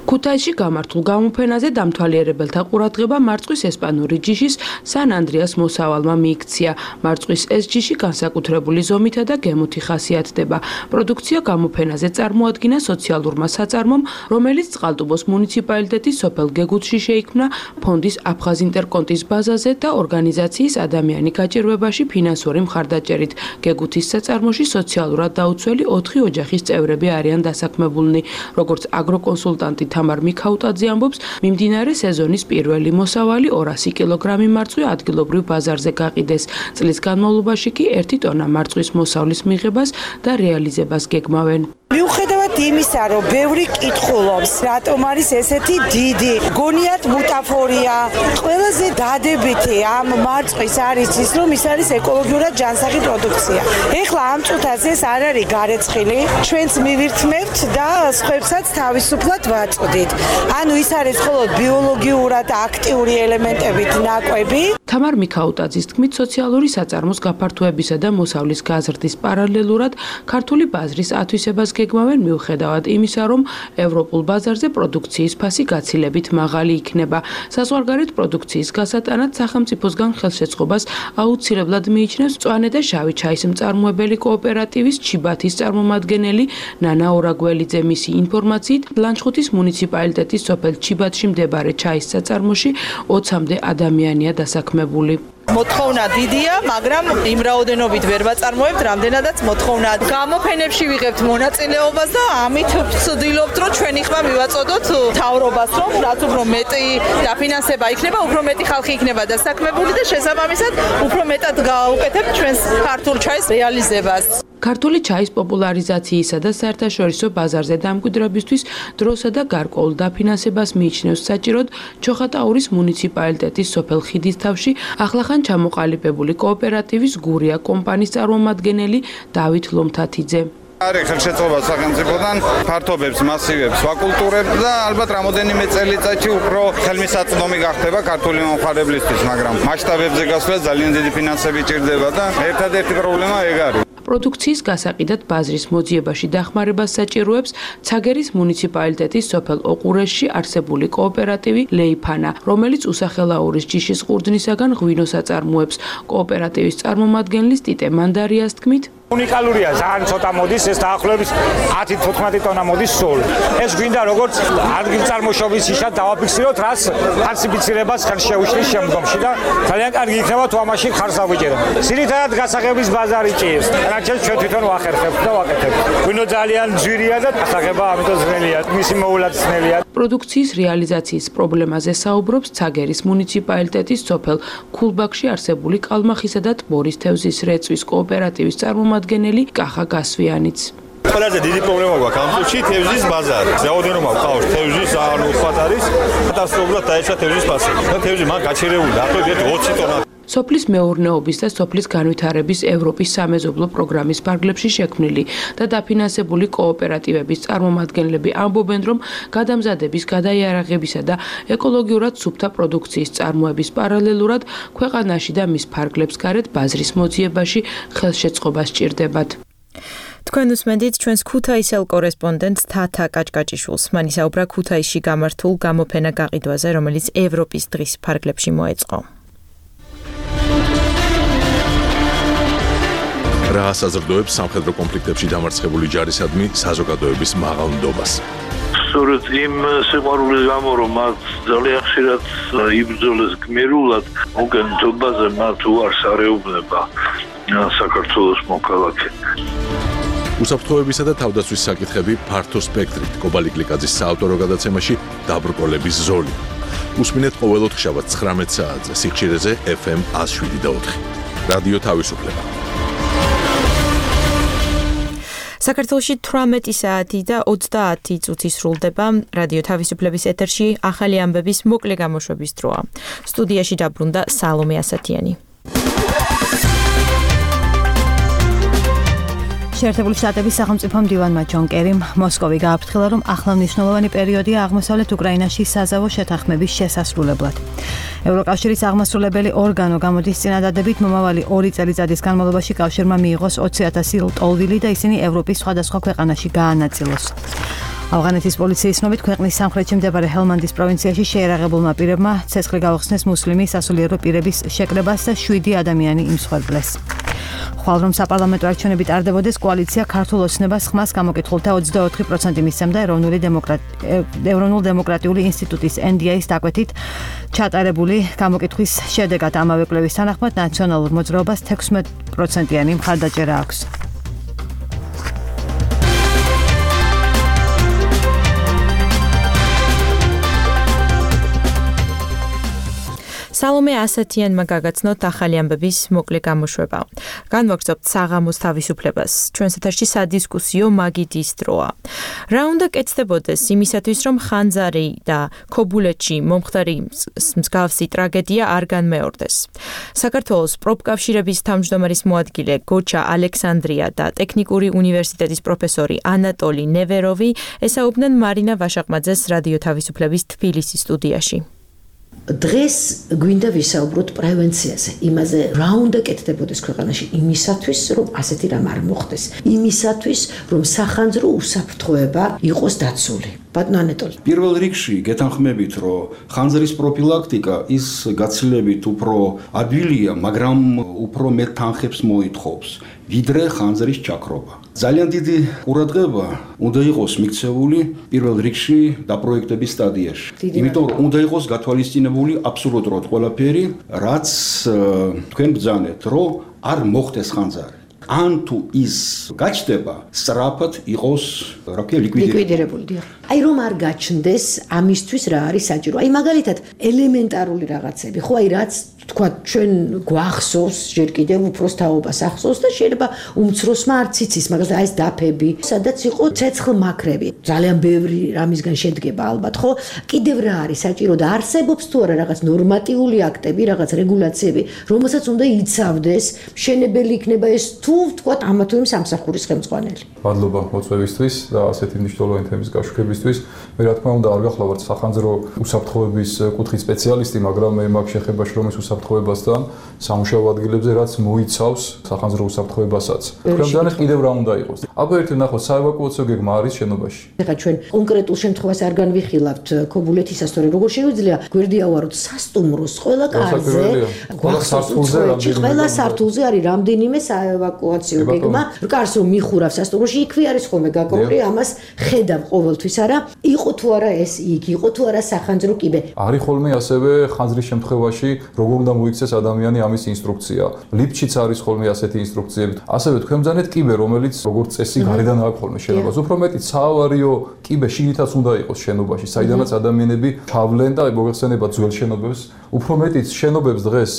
ქუთაისში გამართულ გამოფენაზე დამთვალიერებელთა ყურადღება მარწყვის ესპანური ჯიშის სან ანდრეას მოსავალმა მიიქცია. მარწყვის ეს ჯიში განსაკუთრებული ზომითა და გემოთი ხასიათდება. პროდუქცია გამოფენაზე წარმოადგინა სოციალურმა საწარმომ, რომელიც წყალტუბოს მუნიციპალიტეტის სოფელ გეგუთში შეიქმნა ფონდის აფხაზ ინტერკონტის ბაზაზე და ორგანიზაციის ადამიანი გაჭირვებაში ფინანსური მხარდაჭერით. გეგუთის საწარმოში სოციალურად დაუცველი 4 ოჯახის წევრები არიან დასაქმებულნი, როგორც აგროკონსულტანტი თამარ მიქაუტაძე ამბობს, მიმდინარე სეზონის პირველი მოსავალი 200 კილოგრამი მარწყვი ადგილობრივ ბაზარზე გაყიდეს. წლის განმავლობაში კი 1 ტონა მარწვის მოსავლის მიღებას და რეალიზებას გეგმავენ. მიუხედავად იმისა, რომ ბევრი კითხულობს, რატომ არის ესეთი დიდი, გონიათ ბუტაფორია, ყველაზე დადებითი ამ მარწვის არის ის, რომ ის არის ეკოლოგიურად ჯანსაღი პროდუქცია. ეხლა ამ წუთაზე ეს არ არის გარეცხილი, ჩვენც მივირთმევთ და სხვებსაც თავისუფლად ვაწვდით. ანუ ის არის მხოლოდ ბიოლოგიურად აქტიური ელემენტებით ნაკვები. თამარ მიქაუტაძის თქმით, სოციალური საწარმოს გაფართოებისა და მოსავლის გაზრდის პარალელურად ქართული ბაზრის ათვისებას გეგმავენ მიუხედავად იმისა, რომ ევროპულ ბაზარზე პროდუქციის ფასი გაცილებით მაღალი იქნება. საზღვარგარეთ პროდუქციის გასატანად სახელმწიფოსგან ხელშეწყობას აუცილებლად მიიჩნევს მწვანე და შავი ჩაის მწარმოებელი კოოპერატივის ჩიბათის წარმომადგენელი ნანა ორაგველიძე. მისი ინფორმაციით, ლანჩხუთის მუნიციპალიტეტის სოფელ ჩიბათში მდებარე ჩაის საწარმოში 20-მდე ადამიანია დასაქმებული. მოთხოვნა დიდია, მაგრამ იმ რაოდენობით ვერ ვაწარმოებთ, რამდენადაც მოთხოვნა. გამოფენებში ვიღებთ მონაწილეობას და ამით ვცდილობთ, რომ ჩვენი ხმა მივაწოდოთ მთავრობას, რომ რაც უფრო მეტი დაფინანსება იქნება, უფრო მეტი ხალხი იქნება დასაქმებული და შესაბამისად უფრო მეტად გავუკეთებთ ჩვენს ქართულ ჩაის რეალიზებას. ქართული ჩაის პოპულარიზაციისა და საერთაშორისო ბაზარზე დამკვიდრებისთვის დროსა და გარკვეულ დაფინანსებას მიიჩნევს საჭიროდ ჩოხატაურის მუნიციპალიტეტის სოფელ ხიდისთავში ახლახან ჩამოყალიბებული კოოპერატივის გურია კომპანიის წარმომადგენელი დავით ლომთათიძე. არის ხელშეწყობა სახელმწიფოდან, ფართობებს, მასივებს ვაკულტურებთ და ალბათ რამოდენიმე წელიწადში უფრო ხელმისაწვდომი გახდება ქართული მომხმარებლისთვის, მაგრამ მასშტაბებზე გასვლა ძალიან დიდი ფინანსები ჭირდება და ერთადერთი პრობლემა ეგ არის. პროდუქციის გასაყიდად ბაზრის მოძიებაში დახმარებას საჭიროებს ცაგერის მუნიციპალიტეტის სოფელ ოყურესში არსებული კოოპერატივი ლეიფანა, რომელიც უსახელაურის ჯიშის ყურძნისაგან ღვინოს აწარმოებს. კოოპერატივის წარმომადგენლის ტიტე მანდარიას თქმით, უნიკალურია, ძალიან ცოტა მოდის, ეს დაახლოებით 10-15 ტონა მოდის სულ. ეს გვინდა როგორც ადგილწარმოშობის ისად დავაფიქსიროთ, რაც ფალსიფიცირებას ხელ შეუშლის შემდგომში და ძალიან კარგი იქნება თუ ამაში ხარს დავიჭეროთ. ძირითადად გასაღების ბაზარი ჭირს. რაც ჩვენ თვითონ ვახერხებთ და ვაკეთებთ. ღვინო ძალიან ძვირია და გასაღება ამიტომ ძნელია, მისი მოულაც ძნელია. პროდუქციის რეალიზაციის პრობლემაზე საუბრობს ცაგერის მუნიციპალიტეტის სოფელ ქულბაქში არსებული კალმახისა და ტბორის თევზის რეწვის კოოპერატივის წარმომადგენელი კახა გასვიანიც. ყველაზე დიდი პრობლემა გვაქვს ამ წუთში თევზის ბაზარი. რაოდენობა გვყავს თევზის, ანუ უხვად არის. კატასტროფულად დაეცა თევზის ფასი. და თევზი მან გაჩერებული დაახლოებით 20 ტონა. სოფლის მეურნეობის და სოფლის განვითარების ევროპის სამეზობლო პროგრამის ფარგლებში შექმნილი და დაფინანსებული კოოპერატივების წარმომადგენლები ამბობენ, რომ გადამზადების, გადაიარაღებისა და ეკოლოგიურად სუფთა პროდუქციის წარმოების პარალელურად ქვეყანაში და მის ფარგლებს გარეთ ბაზრის მოძიებაში ხელშეწყობა სჭირდებათ. თქვენ უსმენთ ჩვენს ქუთაისელ კორესპონდენტს თათა კაჭკაჭიშვილს. მან ისაუბრა ქუთაისში გამართულ გამოფენა გაყიდვაზე, რომელიც ევროპის დღის ფარგლებში მოეწყო. რა ასაზრდოებს სამხედრო კონფლიქტებში დამარცხებული ჯარისადმი საზოგადოების მაღალ ნდობას. სწორედ იმ სიყვარულის გამო, რომ მათ ძალიან ხშირად იბრძოლეს გმირულად, მოგენთობაზე მათ უარს არეუბნება საქართველოს მოქალაქე. უსაფრთხოებისა და თავდაცვის საკითხები ფართო სპექტრით. კობალი კლიკაძის საავტორო გადაცემაში დაბრკოლების ზოლი. უსმინეთ ყოველ ოთხშაბათს 19 საათზე სიხშირეზე FM 107.4. რადიო თავისუფლება. საქართველოში 18 საათი და 30 წუთი სრულდება რადიო თავისუფლების ეთერში ახალი ამბების მოკლე გამოშვების დროა. სტუდიაში დაბრუნდა სალომე ასათიანი. შეერთებული შტატების სახელმწიფო მდივანმა ჯონ კერიმ მოსკოვი გააფრთხილა, რომ ახლავნიშნულოვანი პერიოდია აღმოსავლეთ უკრაინაში საზავო შეთანხმების შესასრულებლად. ევროკავშირის აღმასრულებელი ორგანო გამოდის წინადადებით მომავალი 2 წელიწადის განმავლობაში კავშირმა მიიღოს 20,000 ტოლვილი და ისინი ევროპის სხვადასხვა ქვეყანაში გაანაწილოს. ავღანეთის პოლიციის ცნობით ქვეყნის სამხრეთში მდებარე ჰელმანდის პროვინციაში შეერაღებულმა პირებმა ცეცხლი გაუხსნეს მუსლიმი სასულიერო პირების შეკრებას და 7 ადამიანი იმსხვერპლეს. ხვალ რომ საპარლამენტო არჩევნები ტარდებოდეს, კოალიცია ქართულ ოცნებას ხმას გამოკითხულთა 24% მისცემდა ეროვნულ დემოკრატიული ინსტიტუტის NDI-ის დაკვეთით ჩატარებული გამოკითხვის შედეგად. ამავე კვლევის თანახმად ნაციონალურ მოძრაობას 16%-იანი მხარდაჭერა აქვს. სალომე ასათიანმა გაგაცნოთ ახალი ამბების მოკლე გამოშვება. განვაგრძობთ საღამოს თავისუფლებას. ჩვენს ეთერში სადისკუსიო მაგიდის დროა. რა უნდა კეთდებოდეს იმისათვის, რომ ხანძარი და ქობულეთში მომხდარი მსგავსი ტრაგედია არ განმეორდეს. საქართველოს პროფკავშირების თავმჯდომარის მოადგილე გოჩა ალექსანდრია და ტექნიკური უნივერსიტეტის პროფესორი ანატოლი ნევეროვი ესაუბნენ მარინა ვაშაყმაძეს რადიო თავისუფლების თბილისის სტუდიაში. დღეს გვინდა ვისაუბროთ პრევენციაზე, იმაზე რა უნდა კეთდებოდეს ქვეყანაში იმისათვის, რომ ასეთი რამ არ მოხდეს, იმისათვის, რომ სახანძრო უსაფრთხოება იყოს დაცული. ბატონო ანატოლი. პირველ რიგში გეთანხმებით, რომ ხანძრის პროფილაქტიკა ის გაცილებით უფრო ადვილია, მაგრამ უფრო მეტ თანხებს მოითხოვს, ვიდრე ხანძრის ჩაქრობა. ძალიან დიდი ყურადღება უნდა იყოს მიქცეული პირველ რიგში დაპროექტების სტადიაში. იმიტომ რომ უნდა იყოს გათვალისწინებული აბსოლუტურად ყველაფერი, რაც თქვენ ბრძანეთ, რომ არ მოხდეს ხანძარი. ან თუ ის გაჩნდება, სწრაფად იყოს, რა ქვია, ლიკვიდირებული. აი რომ არ გაჩნდეს, ამისთვის რა არის საჭირო? აი მაგალითად, ელემენტარული რაღაცები, ხო, აი რაც თქვა ჩვენ გვახსოვს, ჯერ კიდევ უფროს თაობას ახსოვს და შეიძლება უმცროსმა არც იცის, მაგალითად აი ეს დაფები, სადაც იყო ცეცხლმაქრები. ძალიან ბევრი რამისგან შედგება ალბათ, ხო? კიდევ რა არის საჭირო და არსებობს თუ არა რაღაც ნორმატიული აქტები, რაღაც რეგულაციები, რომელსაც უნდა იცავდეს, მშენებელი იქნება ეს თუ ვთქვათ ამა თუ იმ სამსახურის ხელმძღვანელი. მადლობა მოწვევისთვის და ასეთი მნიშვნელოვანი თემის გაშუქებისთვის. მე რა თქმა უნდა არ გახლავართ სახანძრო უსაფრთხოების კუთხის სპეციალისტი, მაგრამ მე მაგ შეხებაში რომ ეს უსაფრთხოებასთან სამუშაო ადგილებზე რაც მოიცავს სახანძრო უსაფრთხოებასაც. თქვენგანაც კიდევ რა უნდა იყოს? აბა ერთი ნახოთ, საევაკუაციო გეგმა არის შენობაში. ეხლა ჩვენ კონკრეტულ შემთხვევას არ განვიხილავთ ქობულეთისას, თორე როგორ შეგვიძლია გვერდია ვაროთ სასტუმროს ყველა კარზე, ყველა სართულზე არის რამდენიმე საევაკუაციო გეგმა. კარს რომ მიხურავ სასტუმროში, იქვე არის ხოლმე გაკოყრი, ამას ხედავ ყოველთვის არა, იყო თუ არა ეს იქ, იყო თუ არა სახანძრო კიბე. არის ხოლმე ასევე ხანძრის შემთხვევაში როგორ უნდა მოიქცეს ადამიანი ამის ინსტრუქცია. ლიფტშიც არის ხოლმე ასეთი ინსტრუქციები. ასევე თქვენ ბრძანეთ კიბე, რომელიც როგორც წესი გარედან აქვს ხოლმე შენობას. უფრო მეტი საავარიო კიბე შიგნითაც უნდა იყოს შენობაში, საიდანაც ადამიანები ჩავლენ და მოგეხსენებათ ძველ შენობებს. უფრო მეტი შენობებს დღეს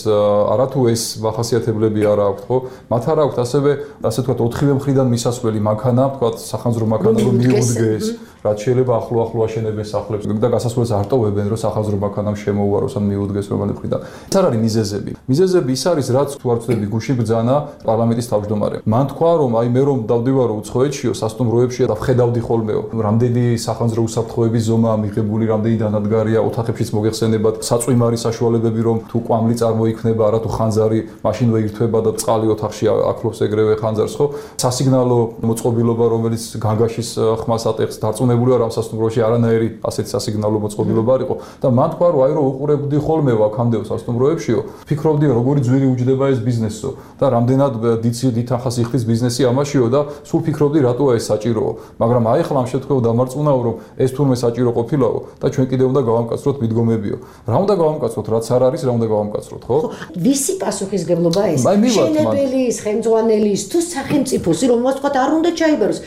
არათუ ეს მახასიათებლები არ აქვთ, ხო? მათ არ აქვთ ასევე ასე ვთქვათ 4-ვე მხრიდან მისასვლელი მანქანა, ვთქვათ სახანძრო მანქანა რომ მიუდგეს. რაც შეიძლება ახლო აშენებენ სახლებს და გასასვლელს არ ტოვებენ, რომ სახანძრო მანქანამ შემოუაროს ან მიუდგეს რომელი მხრიდან. ეს არ არის მიზეზები. მიზეზები ის არის, რაც თუ არ ვწდები გუშინ ბრძანა პარლამენტის თავმჯდომარემ. მან თქვა, რომ აი მე რომ დავდივარო უცხოეთშიო, სასტუმროებში და ვხედავდი ხოლმეო, რამდენი სახანძრო უსაფრთხოების ზომაა მიღებული, რამდენი დანადგარია, ოთახებშიც მოგეხსენებათ, საწვიმარი საშუალებები, რომ თუ კვამლი წარმოიქმნება, არა თუ ხანძარი, მაშინ ვეირთვება და წყალი ოთახში ახლობს ეგრევე ხანძარს, ხო? სასიგნალო მოწყობილობა, რომელიც განგაშის ხმას ატეხს, დარწმუნებული ვარ, ამ სასტუმროში არანაირი ასეთი სასიგნალო მოწყობილობა არ იყო და მან თქვა, რომ აი რომ უყურებდი ხოლმე აქამდე სასტუმროებშიო, ფიქრობდი როგორი ძვირი უჯდება ეს ბიზნესო და რამდენად დიდ ახას იხდის ბიზნესი ამაშიო და სულ ფიქრობდი რატოა ეს საჭიროა, მაგრამ აი ხლა ამ შემთხვევაში დამარწმუნაო, რომ ეს თურმე საჭირო ყოფილაო და ჩვენ კიდევ უნდა გავამკაცროთ მიდგომებიო. რა უნდა გავამკაცროთ, რაც არ არის, რა უნდა გავამკაცროთ, ხო? ვისი პასუხისგებლობა ეს? მშენებელის, ხელმძღვანელის თუ სახელმწიფოს, რომელსაც თქვა არ უნდა ჩაიბაროს,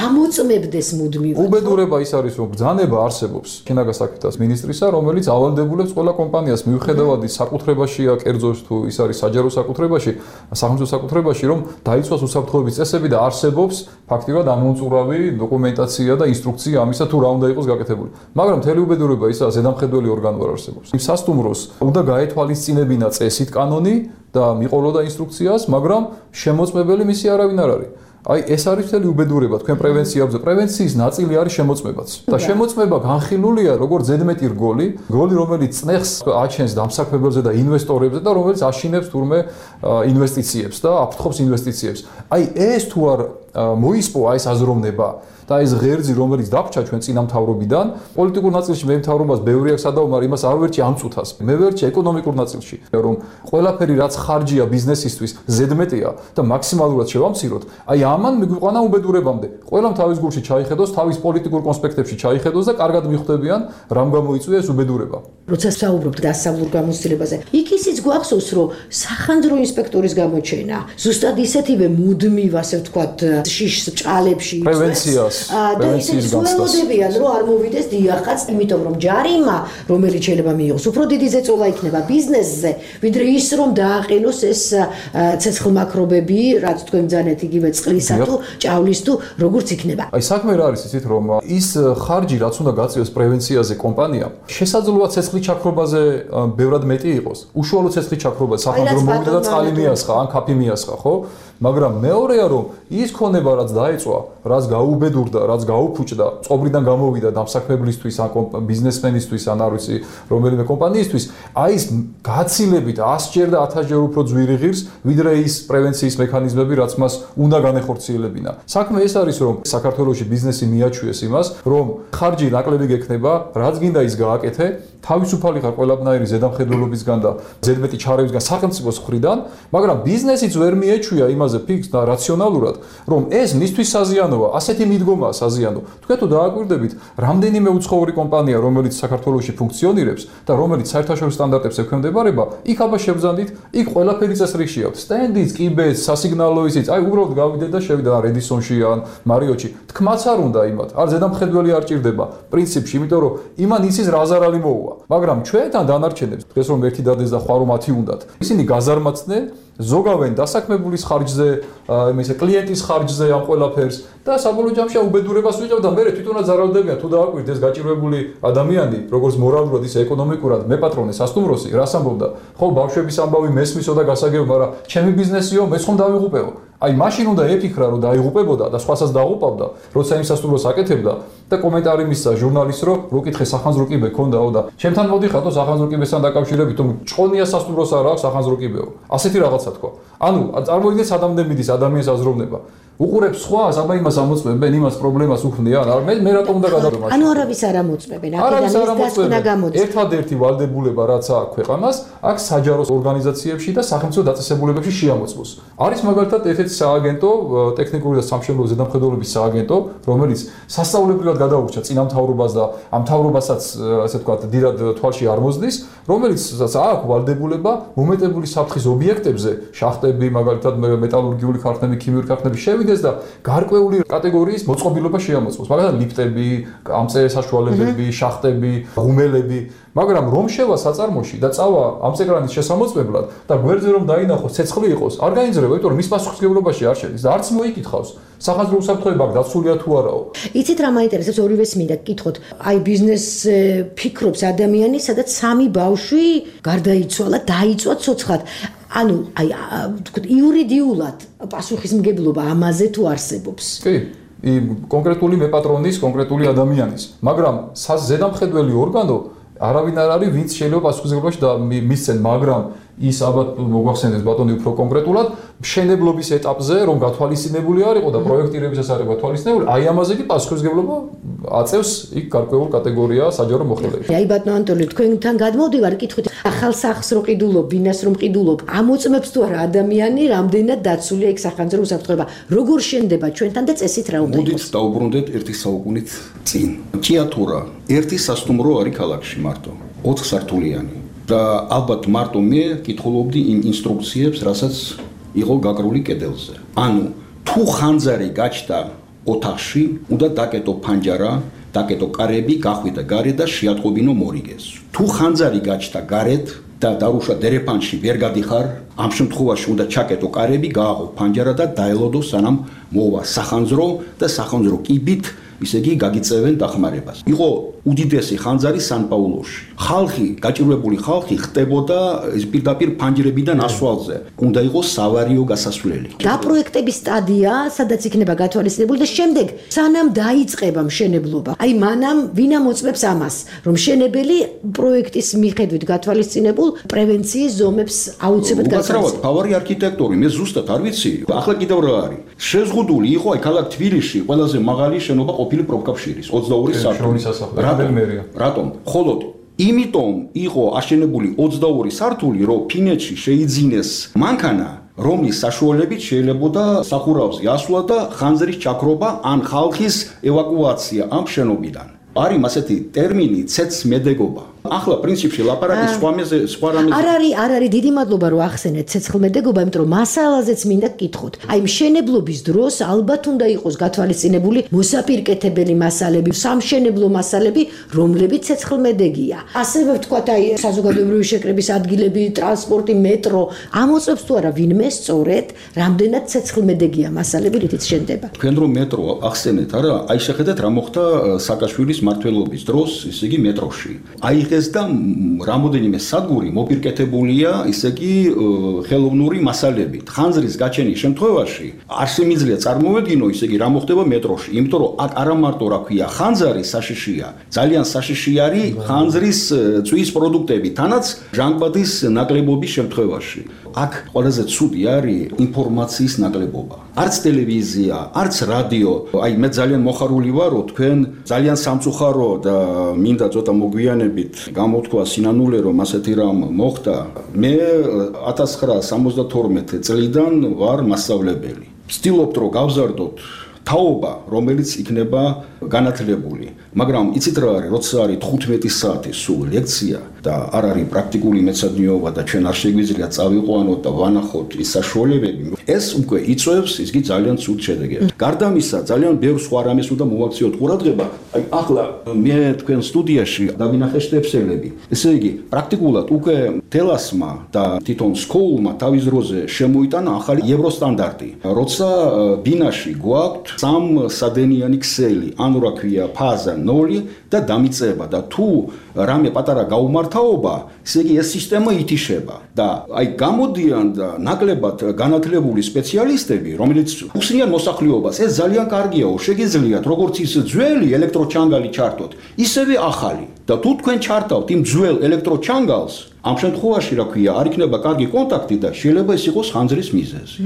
ამოწმებდეს მუდმივად. უბედურება ის არის, რომ ბრძანება არსებობს შინაგან საქმეთა მინისტრისა, რომელიც ავალდებულებს ყველა კომპანიას მიუხედავად ის საკუთრებაშია, კერძოს თუ ის არის საჯარო საკუთრებაში, სახელმწიფო საკუთრებაში, რომ დაიცვას უსაფრთხოების წესები და არსებობს ფაქტიურად ამოუწურავი დოკუმენტაცია და ინსტრუქცია ამისა თუ რა უნდა იყოს გაკეთებული. მაგრამ მთელი უბედურება ისაა, ზედამხედველი ორგანო არ არსებობს. იმ სასტუმროს უნდა გაეთვალისწინებინა წესით კანონი და მიყოლოდა ინსტრუქციას, მაგრამ შემოწმებელი მისი არავინ არ არის. აი ეს არის მთელი უბედურება თქვენ პრევენციაზე. პრევენციის ნაწილი არის შემოწმებაც. და შემოწმება განხილულია როგორც ზედმეტი რგოლი, რომელიც წნეხს აჩენს დამსაქმებელზე და ინვესტორებზე და რომელიც აშინებს თურმე ინვესტიციებს და აფრთხობს ინვესტიციებს. აი ეს თუ არ მოისპო ეს აზროვნება და ეს ღერძი რომელიც დაგჭა ჩვენ წინამთავრობიდან პოლიტიკურ ნაწილში მე მთავრობას ბევრი აქვს სადაუმარ იმას არ ვერჩი ამ წუთას მე ვერჩი ეკონომიკურ ნაწილში რომ ყველაფერი რაც ხარჯია ბიზნესისთვის ზედმეტია და მაქსიმალურად შევამციროთ აი ამან მიგვიყვანა უბედურებამდე ყველამ თავის გულში ჩაიხედოს თავის პოლიტიკურ კონსპექტებში ჩაიხედოს და კარგად მიხვდებიან რამ გამოიწვია ეს უბედურება როცა საუბრობთ დასავლურ გამოცდილებაზე იქ ისიც გვახსოვს რომ სახანძრო ინსპექტორის გამოჩენა ზუსტად ისეთივე მუდმივ ასე ვთქვათ შიშს ჭალებში პრევენციას და ისინი სულელოდებიან რომ არ მოვიდეს დიახაც იმიტომ რომ ჯარიმა რომელიც შეიძლება მიიღოს უფრო დიდი ზეწოლა იქნება ბიზნესზე ვიდრე ის რომ დააყენოს ეს ცეცხლმაქრობები რაც თქვენ ბძანეთ იგივე წყლისა თუ ჭავლის თუ როგორც იქნება აი საქმე რა არის იცით რომ ის ხარჯი რაც უნდა გაწიოს პრევენციაზე კომპანია შესაძლოა ცეცხლის ჩაქრობაზე ბევრად მეტი იყოს უშუალო ცეცხლის ჩაქრობა სახანძრო მოვიდა და წყალი მიასხა ან კაფე მიასხა ხო მაგრამ მეორეა რომ ის ქონება რაც დაეწვა რაც გაუბედურდა რაც გაუფუჭდა წობრიდან გამოვიდა დამსაქმებლისთვის ან ბიზნესმენისთვის ან არ ვიცი რომელიმე კომპანიისთვის აი ეს გაცილებით 100ჯერ და 1000ჯერ უფრო ძვირი ღირს ვიდრე ის პრევენციის მექანიზმები რაც მას უნდა განეხორციელებინა საქმე ეს არის რომ საქართველოში ბიზნესი მიაჩვიეს იმას რომ ხარჯი ნაკლები გექნება რაც გინდა ის გააკეთე თავისუფალი ხარ ყველაფერი ზედამხედველობისგან და ზედმეტი ჩარევისგან სახელმწიფოს მხრიდან მაგრამ ბიზნესიც ვერ მიეჩვია იმაზე ფიქს და რაციონალურად რომ ეს მისთვის საზიანოა ასეთი მიდგომაა საზიანო თქვენ თუ დააკვირდებით რამდენიმე უცხოური კომპანია რომელიც საქართველოში ფუნქციონირებს და რომელიც საერთაშორისო სტანდარტებს ექვემდებარება იქ აბა შევზანდით იქ ყველაფერი წესრიგში აქვს სტენდიც კიბეც სასიგნალო ისიც აი უბრალოდ გავიდეთ და შევიდა რედისონში ან მარიოტში თქმაც არ უნდა იმათ არ ზედამხედველი არ ჭირდება პრინციპში იმიტომ რომ იმან იცის რა ზარალი მოუვა მაგრამ ჩვენთან დანარჩენებს დღეს რომ ერთი დადეს და ხვალ რომ 10 უნდათ ისინი გაზარმაცდნენ ზოგავენ დასაქმებულის ხარჯზე, იმისა კლიენტის ხარჯზე ამ ყველაფერს და საბოლოო ჯამში უბედურებას ვიღებ და მე თვითონაც ზარალდებიან თუ დააკვირდეთ ეს გაჭირვებული ადამიანი, როგორც მორალურად ისე ეკონომიკურად მე პატრონი სასტუმროსი, რას ამბობდა? ხო, ბავშვების ამბავი მესმისო და გასაგებო, მაგრამ ჩემი ბიზნესიო, მე ხომ დავიღუპეო. აი მაშინ უნდა ეფიქრა რომ დაიღუპებოდა და სხვასაც დააღუპავდა, როცა იმ სასტუმროს აკეთებდა და კომენტარი მისცა ჟურნალისტს რომ რუკითხე სახანძრო კიბე ქონდაო და ჩემთან მოდიხატო სახანძრო კიბესთან დაკავშირებით თუ ჭყონია სასტუმროს არ აქვს სახანძრო კიბეო. ასეთი რაღაცა თქვა. ანუ წარმოვიდგინეთ სადამდე მიდის ადამიანის აზროვნება. უყურებს სხვას, აბა იმას ამოწმებენ, იმას პრობლემას უხდიან. მე რატომ უნდა გადავდო? ანუ არავის არ ამოწმებენ, აქედან ის დასკვნა გამოდის. ერთადერთი ვალდებულება რაც აქვს ქვეყანას, აქ საჯარო ორგანიზაციებში და სახელმწიფო დაწესებულებებში შეამოწმოს. არის მაგალითად ერთ-ერთი სააგენტო, ტექნიკური და სამშენებლო ზედამხედველობის სააგენტო, რომელიც სასწauლებრივად გადაურჩა წინამთავრობას და ამ მთავრობასაც, ასე ვთქვათ, დიდად თვალში არ მოსდის, რომელიც აქვს ვალდებულება მომეტებული საფრთხის ობიექტებზე, შახტები, მაგალითად მეტალურგიული ქარხნები, ქიმიური ქარხნები შევიდეს და გარკვეული კატეგორიის მოწყობილობა შეამოწმოს. მაგალითად ლიფტები, ამწე საშუალებები, შახტები, ღუმელები, მაგრამ რომ შევა საწარმოში და წავა ამწეკრანის შესამოწმებლად და გვერდზე რომ დაინახოს ცეცხლი იყოს, არ გაინძრება, იმიტომ რომ მის პასუხისმგებლობაში არ შედის და არც მოიკითხავს. სახანძრო უსაფრთხოება დაცულია თუ არაო. იცით რა მაინტერესებს ორივეს მინდა გკითხოთ. აი ბიზნეს ფიქრობს ადამიანი, სადაც სამი ბავშვი გარდაიცვალა, დაიწვა ცოცხლად. ანუ აი ვთქვით იურიდიულად პასუხისმგებლობა ამაზე თუ არსებობს. კი, კონკრეტული მეპატრონის, კონკრეტული ადამიანის, მაგრამ ზედამხედველი ორგანო არავინ არ არის, ვინც შეიძლება პასუხისმგებლობაში მისცენ, მაგრამ ის ალბათ მოგვახსენებს ბატონი უფრო კონკრეტულად მშენებლობის ეტაპზე რომ გათვალისწინებული არ იყო და პროექტირებისას არ იყო გათვალისწინებული, აი ამაზე კი პასუხისმგებლობა აწევს იქ გარკვეულ კატეგორია საჯარო მოხელეებში. აი ბატონო ანტონი, თქვენთან გადმოვდივარ, კითხვით, ახალ სახლს რო ყიდულობ, ბინას რომ ყიდულობ, ამოწმებს თუ არა ადამიანი, რამდენად დაცულია იქ სახანძრო უსაფრთხოება, როგორ შენდება ჩვენთან და წესით რა უნდა იყოს. მოდით დაუბრუნდეთ ერთი საუკუნით წინ. ჭიათურა, ერთი სასტუმრო არის ქალაქში მარტო, 4 სართულიანი. და ალბათ მარტო მე კითხულობდი იმ ინსტრუქციებს, რასაც იყო გაკრული კედელზე. ანუ თუ ხანძარი გაჩნდა ოთახში უნდა დაკეტო ფანჯარა, დაკეტო კარები, გახვიდა გარეთ და შეატყობინო მორიგეს. თუ ხანძარი გაჩნდა გარეთ და დარუშვა დერეფანში ვერ გადიხარ, ამ შემთხვევაში უნდა ჩაკეტო კარები, გააღო ფანჯარა და დაელოდო სანამ მოვა სახანძრო და სახანძრო კიბით, ისე იგი გაგიწევენ დახმარებას. იყო უდიდესი ხანძარი სან-პაულოში. ხალხი, გაჭირვებული ხალხი ხტებოდა პირდაპირ ფანჯრებიდან ასვალზე. უნდა იყოს სავარიო გასასვლელი. დაპროექტების სტადია, სადაც იქნება გათვალისწინებული და შემდეგ სანამ დაიწყება მშენებლობა. აი მანამ ვინ ამოწმებს ამას, რომ მშენებელი პროექტის მიხედვით გათვალისწინებულ პრევენციის ზომებს აუცილებლად გასაცნობ. ფავარი არქიტექტორი, მე ზუსტად არ ვიცი. ახლა კიდევ რა არის? შეზღუდული იყო აი ქალაქ თბილისში ყველაზე მაღალი შენობა ყოფილი პროფკავშირის 22 სართული. რატომ? ხოლო იმიტომ იყო აშენებული 22 სართული, რომ ფინეთში შეიძინეს მანქანა, რომლის საშუალებით შეიძლებოდა სახურავზე ასვლა და ხანძრის ჩაქრობა ან ხალხის ევაკუაცია ამ შენობიდან. არის ასეთი ტერმინი ცეცხლმედეგობა. ახლა პრინციპში ლაპარაკი სხვა რამეზე. არ არის დიდი მადლობა რომ ახსენეთ ცეცხლმედეგობა, იმიტომ რომ მასალაზეც მინდა გკითხოთ. აი მშენებლობის დროს ალბათ უნდა იყოს გათვალისწინებული მოსაპირკეთებელი მასალები, სამშენებლო მასალები, რომლებიც ცეცხლმედეგია. ასევე ვთქვათ, აი საზოგადოებრივი შეკრების ადგილები, ტრანსპორტი, მეტრო, ამოწმებს თუ არა ვინმე სწორედ, რამდენად ცეცხლმედეგია მასალები, რითიც შენდება. თქვენ რომ მეტრო ახსენეთ, არა? აი შეხედეთ რა მოხდა სააკაშვილის მმართველობის დროს, ისე იგი მეტროში. ეს და რამოდენიმე სადგური მოპირკეთებულია, ისე იგი ხელოვნური მასალებით. ხანძრის გაჩენის შემთხვევაში არ შემიძლია წარმოვედგინო, ისე იგი რა მოხდება მეტროში, იმიტომ რომ აქ არა მარტო რა ქვია, ხანძარი საშიშია, ძალიან საშიში არის ხანძრის წვის პროდუქტები, თანაც ჟანგბადის ნაკლებობის შემთხვევაში. აქ ყველაზე ცუდი არის ინფორმაციის ნაკლებობა. არც ტელევიზია, არც რადიო, აი მე ძალიან მოხარული ვარ, რომ თქვენ ძალიან სამწუხარო და მინდა ცოტა მოგვიანებით გამოთქვა სინანულე, რომ ასეთი რამ მოხდა. მე 1972 წლიდან ვარ მასწავლებელი. ვცდილობთ, რომ გავზარდოთ თაობა, რომელიც იქნება განათლებული. მაგრამ იცით რა არის, როცა არის 15 საათი სულ ლექცია და არ არის პრაქტიკული მეცადინეობა და ჩვენ არ შეგვიძლია წავიყვანოთ და ვანახოთ ის საშუალებები, ეს უკვე იწვევს ისგი ძალიან ცუდ შედეგებს. გარდა ამისა, ძალიან ბევრ სხვა რამეს უნდა მოვაქციოთ ყურადღება. აი ახლა მე თქვენ სტუდიაში დავინახე შტეფსელები. ესე იგი, პრაქტიკულად უკვე თელასმა და თვითონ სკოულმა თავის დროზე შემოიტანა ახალი ევროსტანდარტი. როცა ბინაში გვაქვს 3 სადენიანი ქსელი, ანუ რა ქვია, ფაზა 0 და დამიწება და თუ რამე პატარა გაუმართავობა, ესე იგი ეს სისტემა ითიშება და აი გამოდიან და ნაკლებად განათლებული სპეციალისტები, რომელიც უხსნიან მოსახლეობას, ეს ძალიან კარგიაო, შეგიძლიათ როგორც ის ძველი ელექტროჩანგალი ჩართოთ, ისევე ახალი და თუ თქვენ ჩართავთ იმ ძველ ელექტროჩანგალს, ამ შემთხვევაში რა ქვია, არ იქნება კარგი კონტაქტი და შეიძლება ეს იყოს ხანძრის მიზეზი.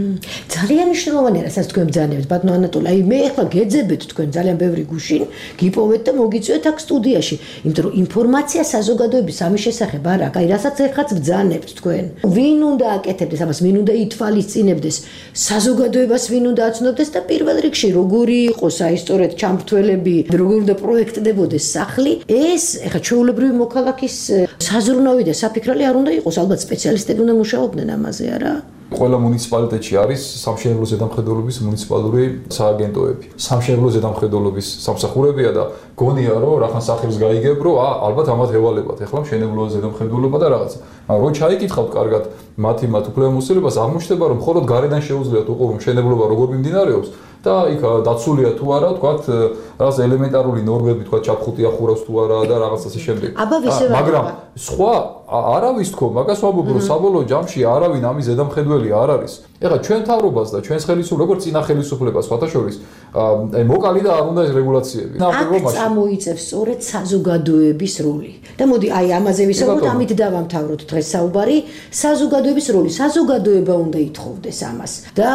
ძალიან მნიშვნელოვანია, რასაც თქვენ ბრძანებთ, ბატონო ანატოლი. აი მე ახლა გეძებეთ თქვენ ძალიან ბევრი გუშინ, გიპოვეთ და მოგიწვიეთ აქ სტუდიაში, იმიტომ რომ ინფორმაცია საზოგადოების ამის შესახებ არ აქვს. აი რასაც ეხლაც ბრძანებთ თქვენ. ვინ უნდა აკეთებდეს ამას, ვინ უნდა ითვალისწინებდეს, საზოგადოებას ვინ უნდა აცნობდეს და პირველ რიგში როგორი იყოს აი სწორედ ჩამრთველები, როგორ უნდა პროექტდებოდეს სახლი, ეს ეხლა ჩვეულებრივი მოქალაქის საზრუნავი და საფიქრალი არ უნდა იყოს, ალბათ სპეციალისტები უნდა მუშაობდნენ ამაზე, არა? ყველა მუნიციპალიტეტში არის სამშენებლო ზედამხედველობის მუნიციპალური სააგენტოები. სამშენებლო ზედამხედველობის სამსახურებია და გონია რომ რახან სახელს გაიგებ, რომ ალბათ ამათ ევალებათ. ეხლა მშენებლო ზედამხედველობა და რაღაცა. მაგრამ რო ჩაიკითხავთ კარგად მათი უფლებამოსილებას, აღმოჩნდება რომ მხოლოდ გარედან შეუძლიათ უყურო მშენებლობა როგორ მიმდინარეობს და იქ დაცულია თუ არა, თქვათ, რაღაც ელემენტარული ნორმები, თქვათ, ჩაფხუტი ახურავს თუ არა და რაღაც ასე შემდეგ. მაგრამ სხვა არავის თქო, მაგას ვამბობ, რომ საბოლოო ჯამში არავინ ამის ზედამხედველი არ არის. ეხლა ჩვენ თავრობას და ჩვენს ხელისუფლებას, როგორც წინა ხელისუფლებას, სხვათა შორის, აი მოკალი და არ უნდა ეს რეგულაციები. აქ წამოიწევს სწორედ საზოგადოების როლი. და მოდი აი ამაზე ვისაუბროთ, ამით დავამთავროთ დღეს საუბარი. საზოგადოების როლი, საზოგადოება უნდა ითხოვდეს ამას. და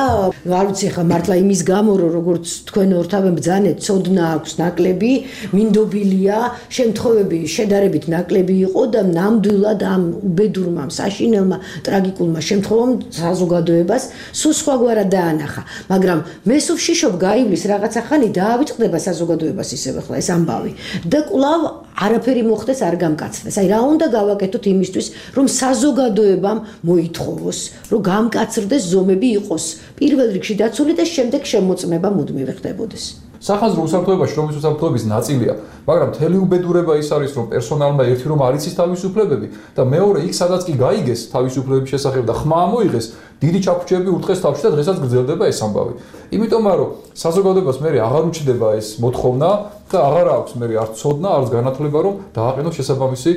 არ ვიცი ხა მართლა იმის გამო, რომ როგორც თქვენ ორთავენ ბრძანეთ, ცოდნა აქვს ნაკლები, მინდობილია, შემთხვევები შედარებით ნაკლები იყო და ნამდვილად ამ უბედურმა, საშინელმა, ტრაგიკულმა შემთხვევამ საზოგადოებას სულ სხვაგვარად დაანახა. მაგრამ მე სულ ვშიშობ გაივლის რაღაცა ხანი დაავიწყდება საზოგადოებას ისევ ახლა ეს ამბავი და კვლავ არაფერი მოხდეს, არ გამკაცდეს. აი რა უნდა გავაკეთოთ იმისთვის, რომ საზოგადოებამ მოითხოვოს, რომ გამკაცრდეს ზომები იყოს პირველ რიგში დაცული და შემდეგ შემოწმება მუდმივი ხდებოდეს. სახანძრო უსაფრთხოებაში, რომელიც უსაფრთხოების ნაწილია, მაგრამ მთელი უბედურება ის არის, რომ პერსონალმა ერთი რომ არ იცის თავისუფლებები და მეორე იქ სადაც კი გაიგეს თავისუფლებების შესახებ და ხმა ამოიღეს, დიდი ჩაფუჭები ურტყეს თავში და დღესაც გრძელდება ეს ამბავი. იმიტომ რომ საზოგადოებას მე აღარ უჩდება ეს მოთხოვნა და აღარ აქვს მე არც ცოდნა, არც განათლება რომ დააყენოს შესაბამისი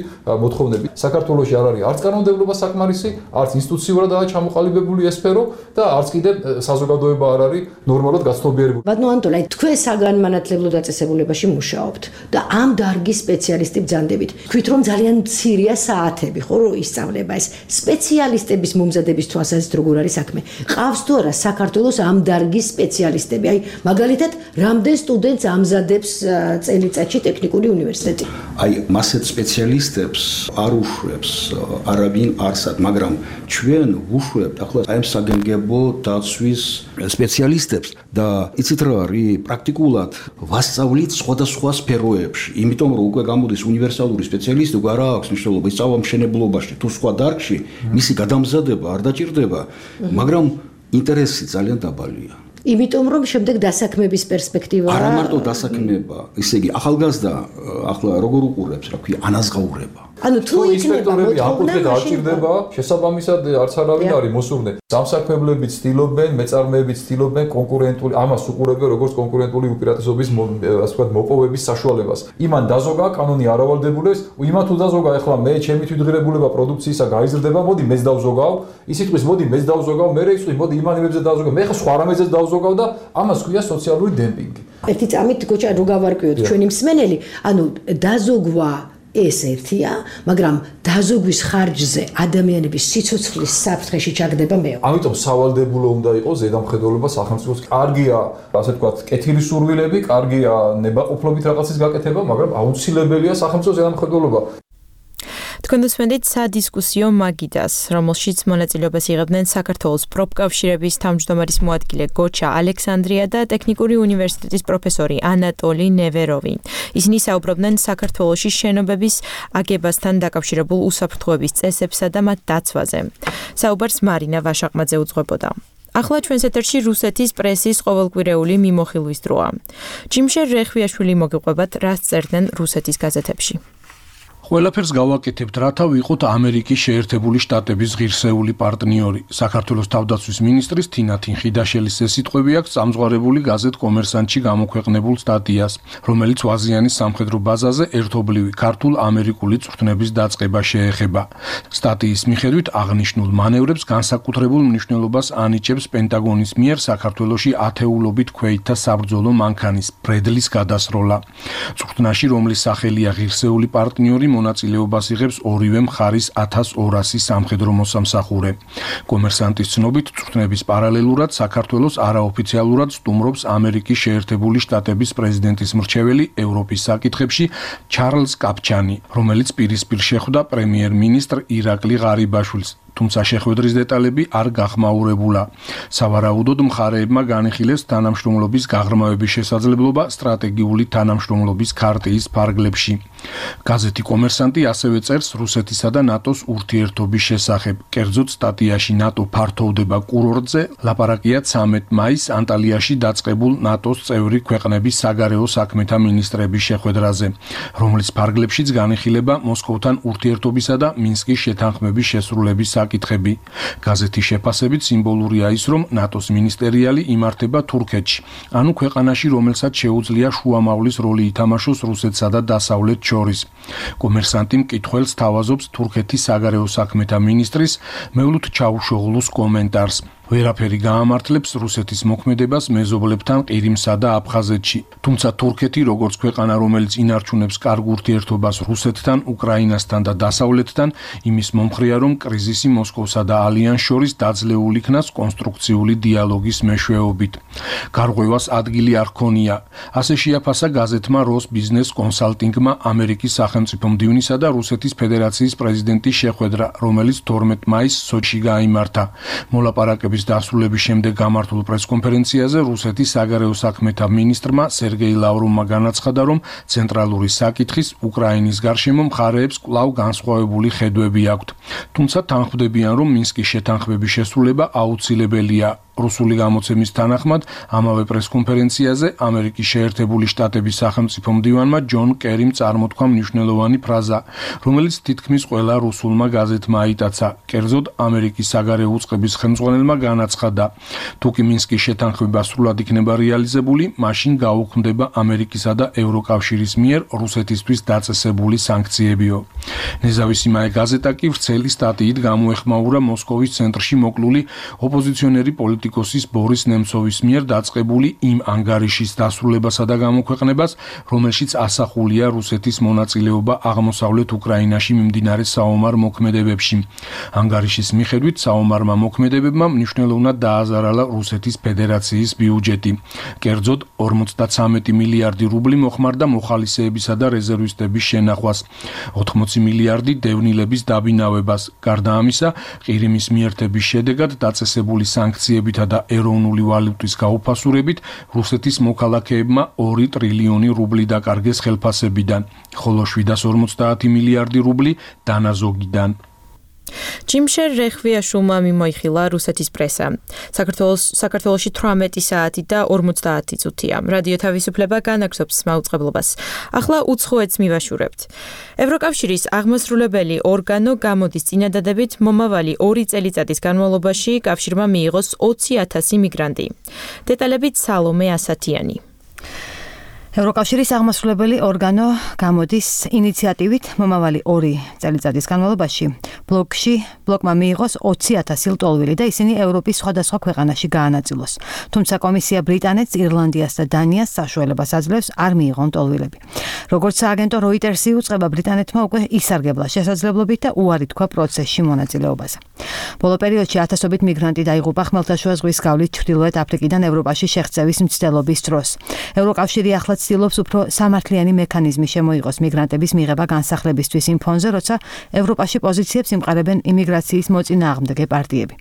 მოთხოვნები. საქართველოში არ არის არც კანონმდებლობა საკმარისი, არც ინსტიტუციურადაა ჩამოყალიბებული ეს სფერო და არც კიდე საზოგადოება არ არის ნორმალურად გაცნობიერებული. ბატონო ანტონი, თქვენ საგანმანათლებლო დაწესებულებაში მუშაობთ და ამ დარგის სპეციალისტი ბრძანდებით. თქვით რომ ძალიან მცირეა საათები, ხო, რომ ისწავლება ეს სპეციალისტების მომზადების თვალსაზრისით როგორ არის საქმე? ყავს თუ არა საქართველოს ამ დარგის სპეციალისტები? აი, მაგალითად, რამდენ სტუდენტს ამზადებს წელიწადში ტექნიკური უნივერსიტეტი? აი, მასეთ სპეციალისტებს არ უშვებს არავინ არსად, მაგრამ ჩვენ ვუშვებთ ახლა აი ამ საგანგებო დაცვის სპეციალისტებს და იცით რა არის პრაქტიკულად ვასწავლით სხვადასხვა სფეროებში, იმიტომ რომ უკვე გამოდის უნივერსალური სპეციალისტი, უკვე არ აქვს მნიშვნელობა ისწავლა მშენებლობაში თუ სხვა დარგში, მისი გადამზადება არ დაჭირდება, მაგრამ ინტერესი ძალიან დაბალია. იმიტომ რომ შემდეგ დასაქმების პერსპექტივა არა მარტო დასაქმება, ისე იგი ახალგაზრდა ახლა როგორ უყურებს, რა ქვია, ანაზღაურება. ანუ თუ ინსპექტორები აკუთვნილ დაჭირდება, შესაბამისად არც არავინ არის მოსურნე. სამსაქმებლები ცდილობენ, მეწარმეები ცდილობენ კონკურენტული, ამას უყურებენ როგორც კონკურენტული უპირატესობის ასე ვთქვათ მოპოვების საშუალებას. იმან დაზოგა კანონი არ ავალდებულებს, იმან თუ დაზოგა ახლა მე ჩემი თვითღირებულება პროდუქციისა გაიზრდება, მოდი მეც დავზოგავ, ის იტყვის მოდი მეც დავზოგავ, მე იტყვის მოდი იმან იმებზე დავზოგავ, მე ხა სხვა რამეზეც დავზოგავ და ამას ქვია სოციალური დემპინგი. ერთი წამით გოჩა რო გავარკვიოთ ჩვენი მსმენელი, ანუ დაზოგვა ეს ერთია, მაგრამ დაზოგვის ხარჯზე ადამიანების სიცოცხლის საფრთხეში ჩაგდება მეორე. ამიტომ სავალდებულო უნდა იყოს ზედამხედველობა სახელმწიფოს. კარგია, ასე ვთქვათ, კეთილი სურვილები, კარგია ნებაყოფლობით რაღაცის გაკეთება, მაგრამ აუცილებელია სახელმწიფოს ზედამხედველობა. თქვენ უსმენთ სადისკუსიო მაგიდას, რომელშიც მონაწილეობას იღებდნენ საქართველოს პროფკავშირების თავმჯდომარის მოადგილე გოჩა ალექსანდრია და ტექნიკური უნივერსიტეტის პროფესორი ანატოლი ნევეროვი. ისინი საუბრობდნენ საქართველოში შენობების აგებასთან დაკავშირებულ უსაფრთხოების წესებსა და მათ დაცვაზე. საუბარს მარინა ვაშაყმაძე უძღვებოდა. ახლა ჩვენს ეთერში რუსეთის პრესის ყოველკვირეული მიმოხილვის დროა. ჯიმშერ რეხვიაშვილი მოგიყვებათ, რას წერდნენ რუსეთის გაზეთებში. ყველაფერს გავაკეთებთ, რათა ვიყოთ ამერიკის შეერთებული შტატების ღირსეული პარტნიორი. საქართველოს თავდაცვის მინისტრის თინა თინხიდაშელის ეს სიტყვები აქვს წამზღარებული გაზეთ კომერსანტში გამოქვეყნებულ სტატიას, რომელიც ვაზიანის სამხედრო ბაზაზე ერთობლივი ქართულ-ამერიკული წვრთნების დაწყება შეეხება. სტატიის მიხედვით აღნიშნულ მანევრებს განსაკუთრებულ მნიშვნელობას ანიჭებს პენტაგონის მიერ საქართველოში ათეულობით ქვეითთა საბრძოლო მანქანის ბრედლის გადასროლა. წვრთნაში, რომლის სახელია ღირსეული პარტნიორი, მონაწილეობას იღებს ორივე მხარის 1200 სამხედრო მოსამსახურე. კომერსანტის ცნობით, წვრთნების პარალელურად საქართველოს არაოფიციალურად სტუმრობს ამერიკის შეერთებული შტატების პრეზიდენტის მრჩეველი ევროპის საკითხებში ჩარლზ კაპჩანი, რომელიც პირისპირ შეხვდა პრემიერ-მინისტრ ირაკლი ღარიბაშვილს. თუმცა შეხვედრის დეტალები არ გახმაურებულა. სავარაუდოდ მხარეებმა განიხილეს თანამშრომლობის გაღრმავების შესაძლებლობა სტრატეგიული თანამშრომლობის ქარტიის ფარგლებში. გაზეთი კომერსანტი ასევე წერს რუსეთისა და ნატოს ურთიერთობის შესახებ. კერძოდ სტატიაში ნატო ფართოვდება კურორტზე, ლაპარაკია 13 მაისს ანტალიაში დაწყებულ ნატოს წევრი ქვეყნების საგარეო საქმეთა მინისტრების შეხვედრაზე, რომლის ფარგლებშიც განიხილება მოსკოვთან ურთიერთობისა და მინსკის შეთანხმების შესრულების საკითხები. გაზეთის შეფასებით სიმბოლურია ის, რომ ნატოს მინისტერიალი იმართება თურქეთში, ანუ ქვეყანაში, რომელსაც შეუძლია შუამავლის როლი ითამაშოს რუსეთსა და დასავლეთ შორის. კომერსანტი მკითხველს თავაზობს თურქეთის საგარეო საქმეთა მინისტრის მევლութ ჩაუშოღლუს კომენტარს. ვერაფერი გაამართლებს რუსეთის მოქმედებას მეზობლებთან ყირიმსა და აფხაზეთში. თუმცა თურქეთი, როგორც ქვეყანა, რომელიც ინარჩუნებს კარგ ურთიერთობას რუსეთთან, უკრაინასთან და დასავლეთთან, იმის მომხრეა, რომ კრიზისი მოსკოვსა და ალიანს შორის დაძლეულ იქნას კონსტრუქციული დიალოგის მეშვეობით. გარღვევას ადგილი არ ჰქონია. ასე შეაფასა გაზეთმა როს ბიზნეს კონსალტინგმა ამერიკის სახელმწიფო მდივნისა და რუსეთის ფედერაციის პრეზიდენტის შეხვედრა, რომელიც 12 მაისს სოჩში გაიმართა. მოლაპარაკების დასრულების შემდეგ გამართულ პრესკონფერენციაზე რუსეთის საგარეო საქმეთა მინისტრმა სერგეი ლავროვმა განაცხადა, რომ ცენტრალური საკითხის უკრაინის გარშემო მხარეებს კვლავ განსხვავებული ხედვები აქვთ. თუმცა თანხმდებიან, რომ მინსკის შეთანხმების შესრულება აუცილებელია. რუსული გამოცემის თანახმად, ამავე პრესკონფერენციაზე ამერიკის შეერთებული შტატების სახელმწიფო მდივანმა ჯონ კერიმ წარმოთქვა მნიშვნელოვანი ფრაზა, რომელიც თითქმის ყველა რუსულმა გაზეთმა აიტაცა. კერძოდ, ამერიკის საგარეო უწყების ხელმძღვანელმა განაცხადა, თუ კი მინსკის შეთანხმება სრულად იქნება რეალიზებული, მაშინ გაუქმდება ამერიკისა და ევროკავშირის მიერ რუსეთისთვის დაწესებული სანქციებიო. ნეზავისი მაე გაზეტა კი ვრცელი სტატიით გამოეხმაურა მოსკოვის ცენტრში მოკლული ოპოზიციონერი პოლიტიკოსის ბორის ნემცოვის მიერ დაწყებული იმ ანგარიშის დასრულებასა და გამოქვეყნებას, რომელშიც ასახულია რუსეთის მონაწილეობა აღმოსავლეთ უკრაინაში მიმდინარე საომარ მოქმედებებში. ანგარიშის მიხედვით საომარმა მოქმედებებმა მნიშვნელოვნად დააზარალა რუსეთის ფედერაციის ბიუჯეტი. კერძოდ 53 მილიარდი რუბლი მოხმარდა მოხალისეებისა და რეზერვისტების შენახვას, 80 მილიარდი დევნილების დაბინავებას. გარდა ამისა, ყირიმის მიერთების შედეგად დაწესებული სანქციებითა და ეროვნული ვალუტის გაუფასურებით რუსეთის მოქალაქეებმა 2 ტრილიონი რუბლი დაკარგეს ხელფასებიდან, ხოლო 750 მილიარდი რუბლი დანაზოგიდან. ჯიმშერ რეხვიაშვილმა მიმოიხილა რუსეთის პრესა. საქართველოში 18 საათი და 50 წუთია. რადიო თავისუფლება განაგრძობს მაუწყებლობას. ახლა უცხოეთს მივაშურებთ. ევროკავშირის აღმასრულებელი ორგანო გამოდის წინადადებით მომავალი 2 წელიწადის განმავლობაში კავშირმა მიიღოს 20,000 მიგრანტი. დეტალებით სალომე ასათიანი. ევროკავშირის აღმასრულებელი ორგანო გამოდის ინიციატივით მომავალი 2 წელიწადის განმავლობაში ბლოკმა მიიღოს 20,000 ლტოლვილი და ისინი ევროპის სხვადასხვა ქვეყანაში გაანაწილოს. თუმცა კომისია ბრიტანეთს, ირლანდიას და დანიას საშუალებას აძლევს არ მიიღონ ლტოლვილები. როგორც სააგენტო Reuters-ი უწყება, ბრიტანეთმა უკვე ისარგებლა შესაძლებლობით და უარი თქვა პროცესში მონაწილეობაზე. ბოლო პერიოდში ათასობით მიგრანტი დაიღუპა ხმელთაშუა ზღვის გავლით ჩრდილოეთ აფრიკიდან ევროპაში შეღწევის მცდელობის დროს. ევროკავშირი ახლაც ცდილობს უფრო სამართლიანი მექანიზმი შემოიღოს მიგრანტების მიღება განსახლებისთვის იმ ფონზე, როცა ევროპაში პოზიციებს იმყარებენ იმიგრაციის მოწინააღმდეგე პარტიები.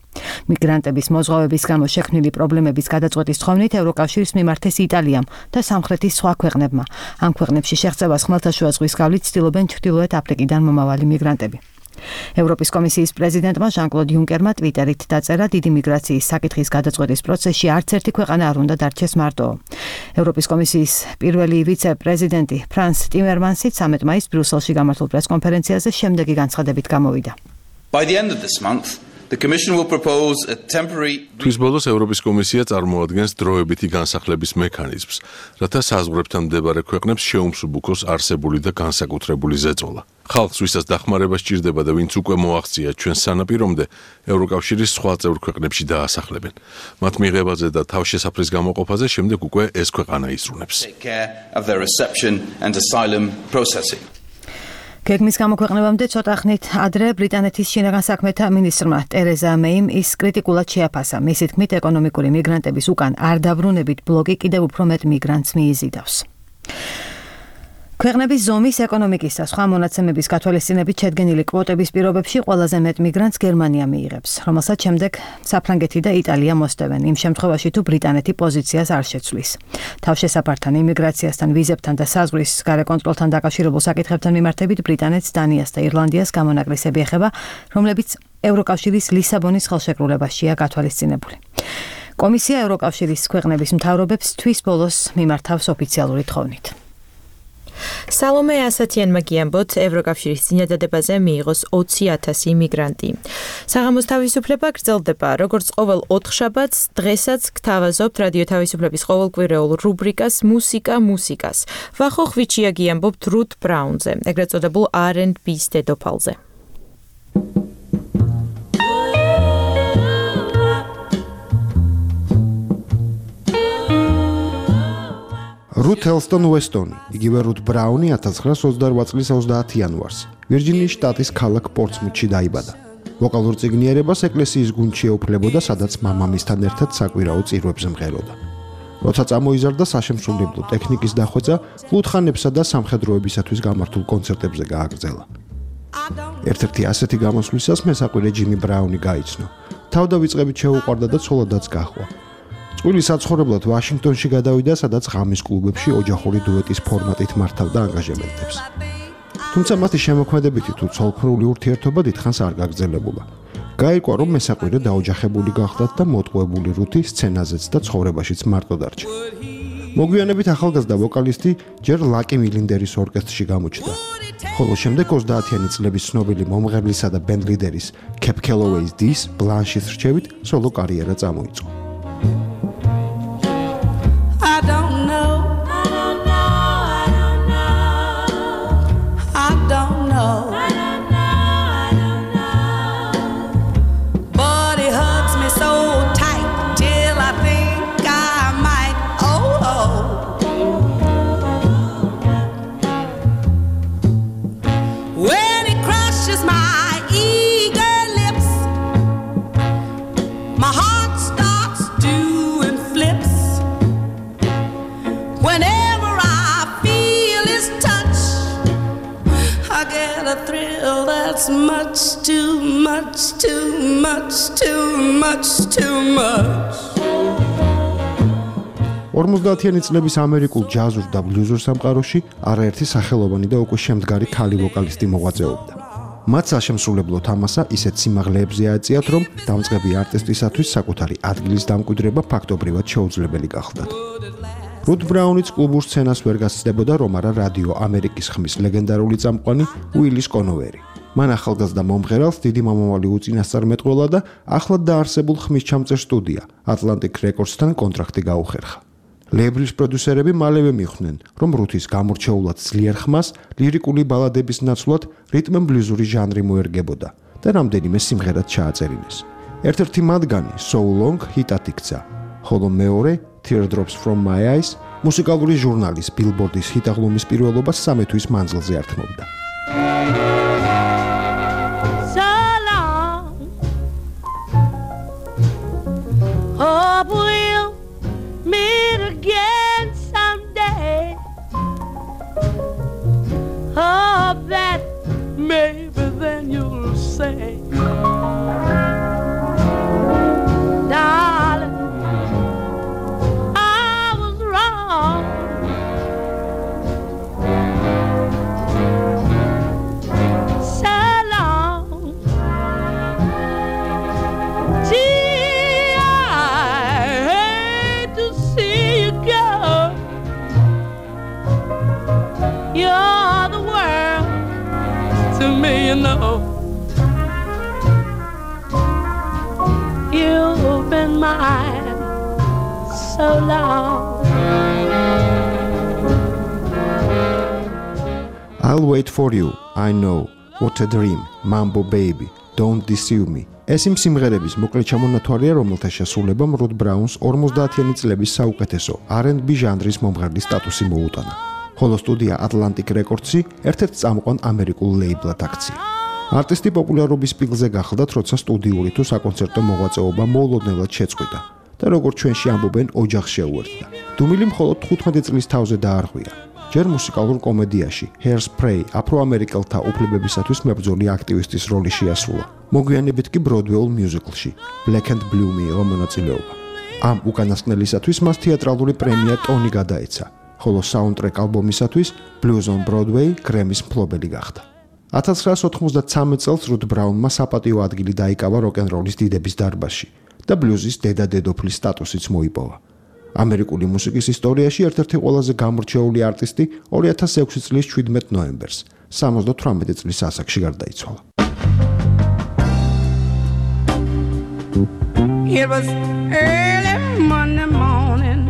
მიგრანტების მოზღვავების გამო შექმნილი პრობლემების გადაწყვეტის თხოვნით ევროკავშირის მიმართეს იტალიამ და სამხრეთის სხვა ქვეყნებმა. ამ ქვეყნებში შეღწევას ხმელთაშუა ზღვის გავლით ცდილობენ ჩრდილოეთ აფრიკიდან მომავალი მიგრანტები. ევროპის კომისიის პრეზიდენტმა ჟან-კლოდ იუნკერმა ტვიტერით დაწერა, დიდი მიგრაციის საკითხის გადაწყვეტის პროცესში არც ერთი ქვეყანა არ უნდა დარჩეს მარტო. ევროპის კომისიის პირველი ვიცე-პრეზიდენტი ფრანს ტიმერმანსი 13 მაისს ბრიუსელში გამართულ პრესკონფერენციაზე შემდეგი განცხადებით გამოვიდა. By the end of this month, the Commission will propose a temporary თვის ბოლოს ევროპის კომისია წარმოადგენს დროებითი განსახლების მექანიზმს, რათა საზღვრებთან მდებარე ქვეყნებს შეუმსუბუქოს არსებული და განსაკუთრებული ზეწოლა. ხალხს, ვისაც დახმარება სჭირდება და ვინც უკვე მოაღწია ჩვენ სანაპირომდე, ევროკავშირის სხვა წევრ ქვეყნებში დაასახლებენ. მათ მიღებაზე და თავშესაფრის გამოყოფაზე შემდეგ უკვე ეს ქვეყანა იზრუნებს. გეგმის გამოქვეყნებამდე ცოტა ხნით ადრე ბრიტანეთის შინაგან საქმეთა მინისტრმა ტერეზა მეიმ ის კრიტიკულად შეაფასა. მისი თქმით, ეკონომიკური მიგრანტების უკან არ დაბრუნებით ბლოკი კიდევ უფრო მეტ მიგრანტს მიიზიდავს. ქვეყნების ზომის ეკონომიკის და სხვა მონაცემების გათვალისწინებით შედგენილი კვოტების პირობებში ყველაზე მეტ მიგრანტს გერმანია მიიღებს, რომელსაც შემდეგ საფრანგეთი და იტალია მოსდევენ, იმ შემთხვევაში თუ ბრიტანეთი პოზიციას არ შეცვლის. თავშესაფართან, იმიგრაციასთან, ვიზებთან და საზღვრის გარე კონტროლთან დაკავშირებულ საკითხებთან მიმართებით ბრიტანეთს, დანიას და ირლანდიას გამონაკლისები ეხება, რომლებიც ევროკავშირის ლისაბონის ხელშეკრულებაშია გათვალისწინებული. კომისია ევროკავშირის ქვეყნების მთავრობებს თვის ბოლოს მიმართავს ოფიციალური თხოვნით. სალომე ასათიანმა გიამბოთ, ევროკავშირის წინადადებაზე მიიღოს 20,000 იმიგრანტი. საღამოს თავისუფლება გრძელდება, როგორც ყოველ 4 შაბათს, დღესაც გთავაზობთ რადიო თავისუფლების ყოველკვირეულ რუბრიკას მუსიკას. ვახო ხვიჩია გიამბობთ რუთ ბრაუნზე, ეგრეთ წოდებულ R&B-ს დედოფალზე. რუთ ელსტონ უესტონი, იგივე რუთ ბრაუნი 1928 წლის 30 იანვარს ვირჯინიის შტატის ქალაქ პორტსმუთში დაიბადა. ვოკალურ წიგნიერებას ეკლესიის გუნდში ეუფლებოდა, სადაც მამამისთან ერთად საკვირაო წირვებზე მღეროდა. როცა წამოიზარდა საშემსრულებლო ტექნიკის დახვეწა, ლუთხანებსა და სამხედროებისათვის გამართულ კონცერტებზე გააგრძელა. ერთ-ერთი ასეთი გამოსვლისას მესაკვირე ჯიმი ბრაუნი გაიცნო. თავდავიწყებით შეუყვარდა და ცოლადაც გაჰყვა. წყვილი საცხოვრებლად ვაშინგტონში გადავიდა, სადაც ღამის კლუბებში ოჯახური დუეტის ფორმატით მართავდა ანგაჟემენტებს. თუმცა მათი შემოქმედებითი თუ ცოლქმრული ურთიერთობა დიდხანს არ გაგრძელებულა. გაირკვა, რომ მესაყვირე დაოჯახებული გახდათ და მოტყუებული რუთი სცენაზეც და ცხოვრებაშიც მარტო დარჩა. მოგვიანებით ახალგაზრდა ვოკალისტი ჯერ ლაკი მილინდერის ორკესტრში გამოჩნდა. ხოლო შემდეგ 30-იანი წლების ცნობილი მომღერლისა და ბენდ ლიდერის Cap Calloway's დის ბლანშის რჩევით სოლო კარიერა წამოიწყო. That's much too much too much too much too much 50-იანი წლების ამერიკულ ჯაზურ და ბლუზურ სამყაროში არაერთი სახელოვანი და უკვე შემდგარი ქალი ვოკალისტი მოღვაწეობდა. მათ საშემსრულებლო თამასა ისეთ სიმაღლეებზე აეწიათ, რომ დამწყები არტისტისათვის საკუთარი ადგილის დამკვიდრება ფაქტობრივად შეუძლებელი გახდათ. რუთ ბრაუნიც კლუბურ სცენას ვერ გასცდებოდა, რომ არა რადიო ამერიკის ხმის ლეგენდარული წამყვანი უილის კონოვერი. მან ახალგაზრდა მომღერალს დიდი მომავალი უწინასწარმეტყველა და ახლად დაარსებულ ხმისჩამწერ სტუდია Atlantic Records-თან კონტრაქტი გაუხერხა. ლეიბლის პროდიუსერები მალევე მიხვდნენ, რომ რუთის გამორჩეულად ძლიერ ხმას ლირიკული ბალადების ნაცვლად რიტმ ენ ბლუზური ჟანრი მოერგებოდა და რამდენიმე სიმღერად ჩააწერინეს. ერთ-ერთი მათგანი So Long ჰიტად იქცა, ხოლო მეორე Teardrops from My Eyes მუსიკალური ჟურნალის Billboard-ის ჰიტაღლუმის პირველობას 3 თვის მანძილზე ართმობდა. Maybe then you'll say, darling, I was wrong. So long. Gee, I hate to see you go. You're the world to me, you know. You've been mine so long. I'll wait for you. I know. What a dream. Mambo baby. Don't deceive me. ეს იმ სიმღერების მოკლე ჩამონათვალია, რომელთა შესრულებამ რუთ ბრაუნს 50-იანი წლების საუკეთესო R&B ჟანრის მომღერლის სტატუსი მოუტანა. ხოლო სტუდია Atlantic Records-ი ერთ-ერთ წამყვან ამერიკულ ლეიბლად აქცია. არტისტი პოპულარობის პიკზე გახდა, როცა სტუდიური თუ საკონცერტო მოღვაწეობა მოულოდნელად შეწყვიტა და როგორც ჩვენში ამბობენ, ოჯახს შეუერთდა. დუმილი მხოლოდ 15 წლის თავზე დაარღვია. ჯერ მუსიკალურ კომედიაში Hairspray აფროამერიკელთა უფლებებისათვის მებრძოლი აქტივისტის როლი შეასრულა. მოგვიანებით კი ბროდვეულ მიუზიკლში Black and Blue მიიღო მონაწილეობა. ამ უკანასკნელისათვის მას თეატრალური პრემია ტონი გადაეცა. ხოლო საუნდტრეკ ალბომისათვის Blues on Broadway გრემის მფლობელი გახდა. 1993 წელს რუთ ბრაუნმა საპატიო ადგილი დაიკავა როკ-ენ-როლის დიდების დარბაზში და ბლუზის დედა-დედოფლის სტატუსიც მოიპოვა. ამერიკული მუსიკის ისტორიაში ერთ-ერთი ყველაზე გამორჩეული არტისტი 2006 წლის 17 ნოემბერს 78 წლის ასაკში გარდაიცვალა. It was early Monday morning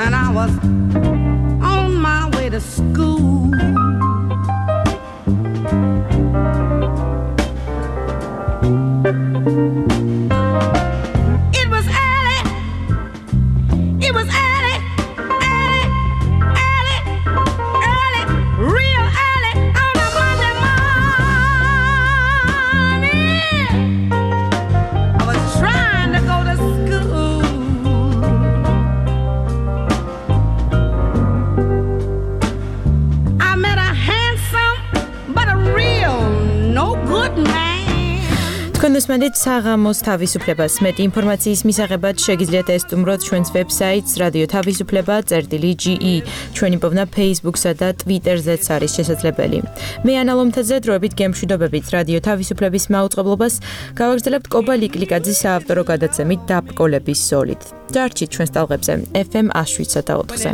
and I was on my way to school. It was early, real early on a Monday morning. I was trying to go to school. თქვენ უსმენთ საღამოს თავისუფლებას. მეტი ინფორმაციის მისაღებად შეგიძლიათ ესტუმროთ ჩვენს ვებსაიტს რადიო თავისუფლება წერტილი.ge. ჩვენი პოვნა Facebook-სა და Twitter-ზეც არის შესაძლებელი. მე ანა ლომთაძე დროებით გემშვიდობებით რადიო თავისუფლების მაუწყებლობას გავაგრძელებთ კობა ლიკლიკაძის საავტორო გადაცემით დაბრკოლების ზოლით. დარჩით ჩვენს ტალღებზე FM 107.4-ზე.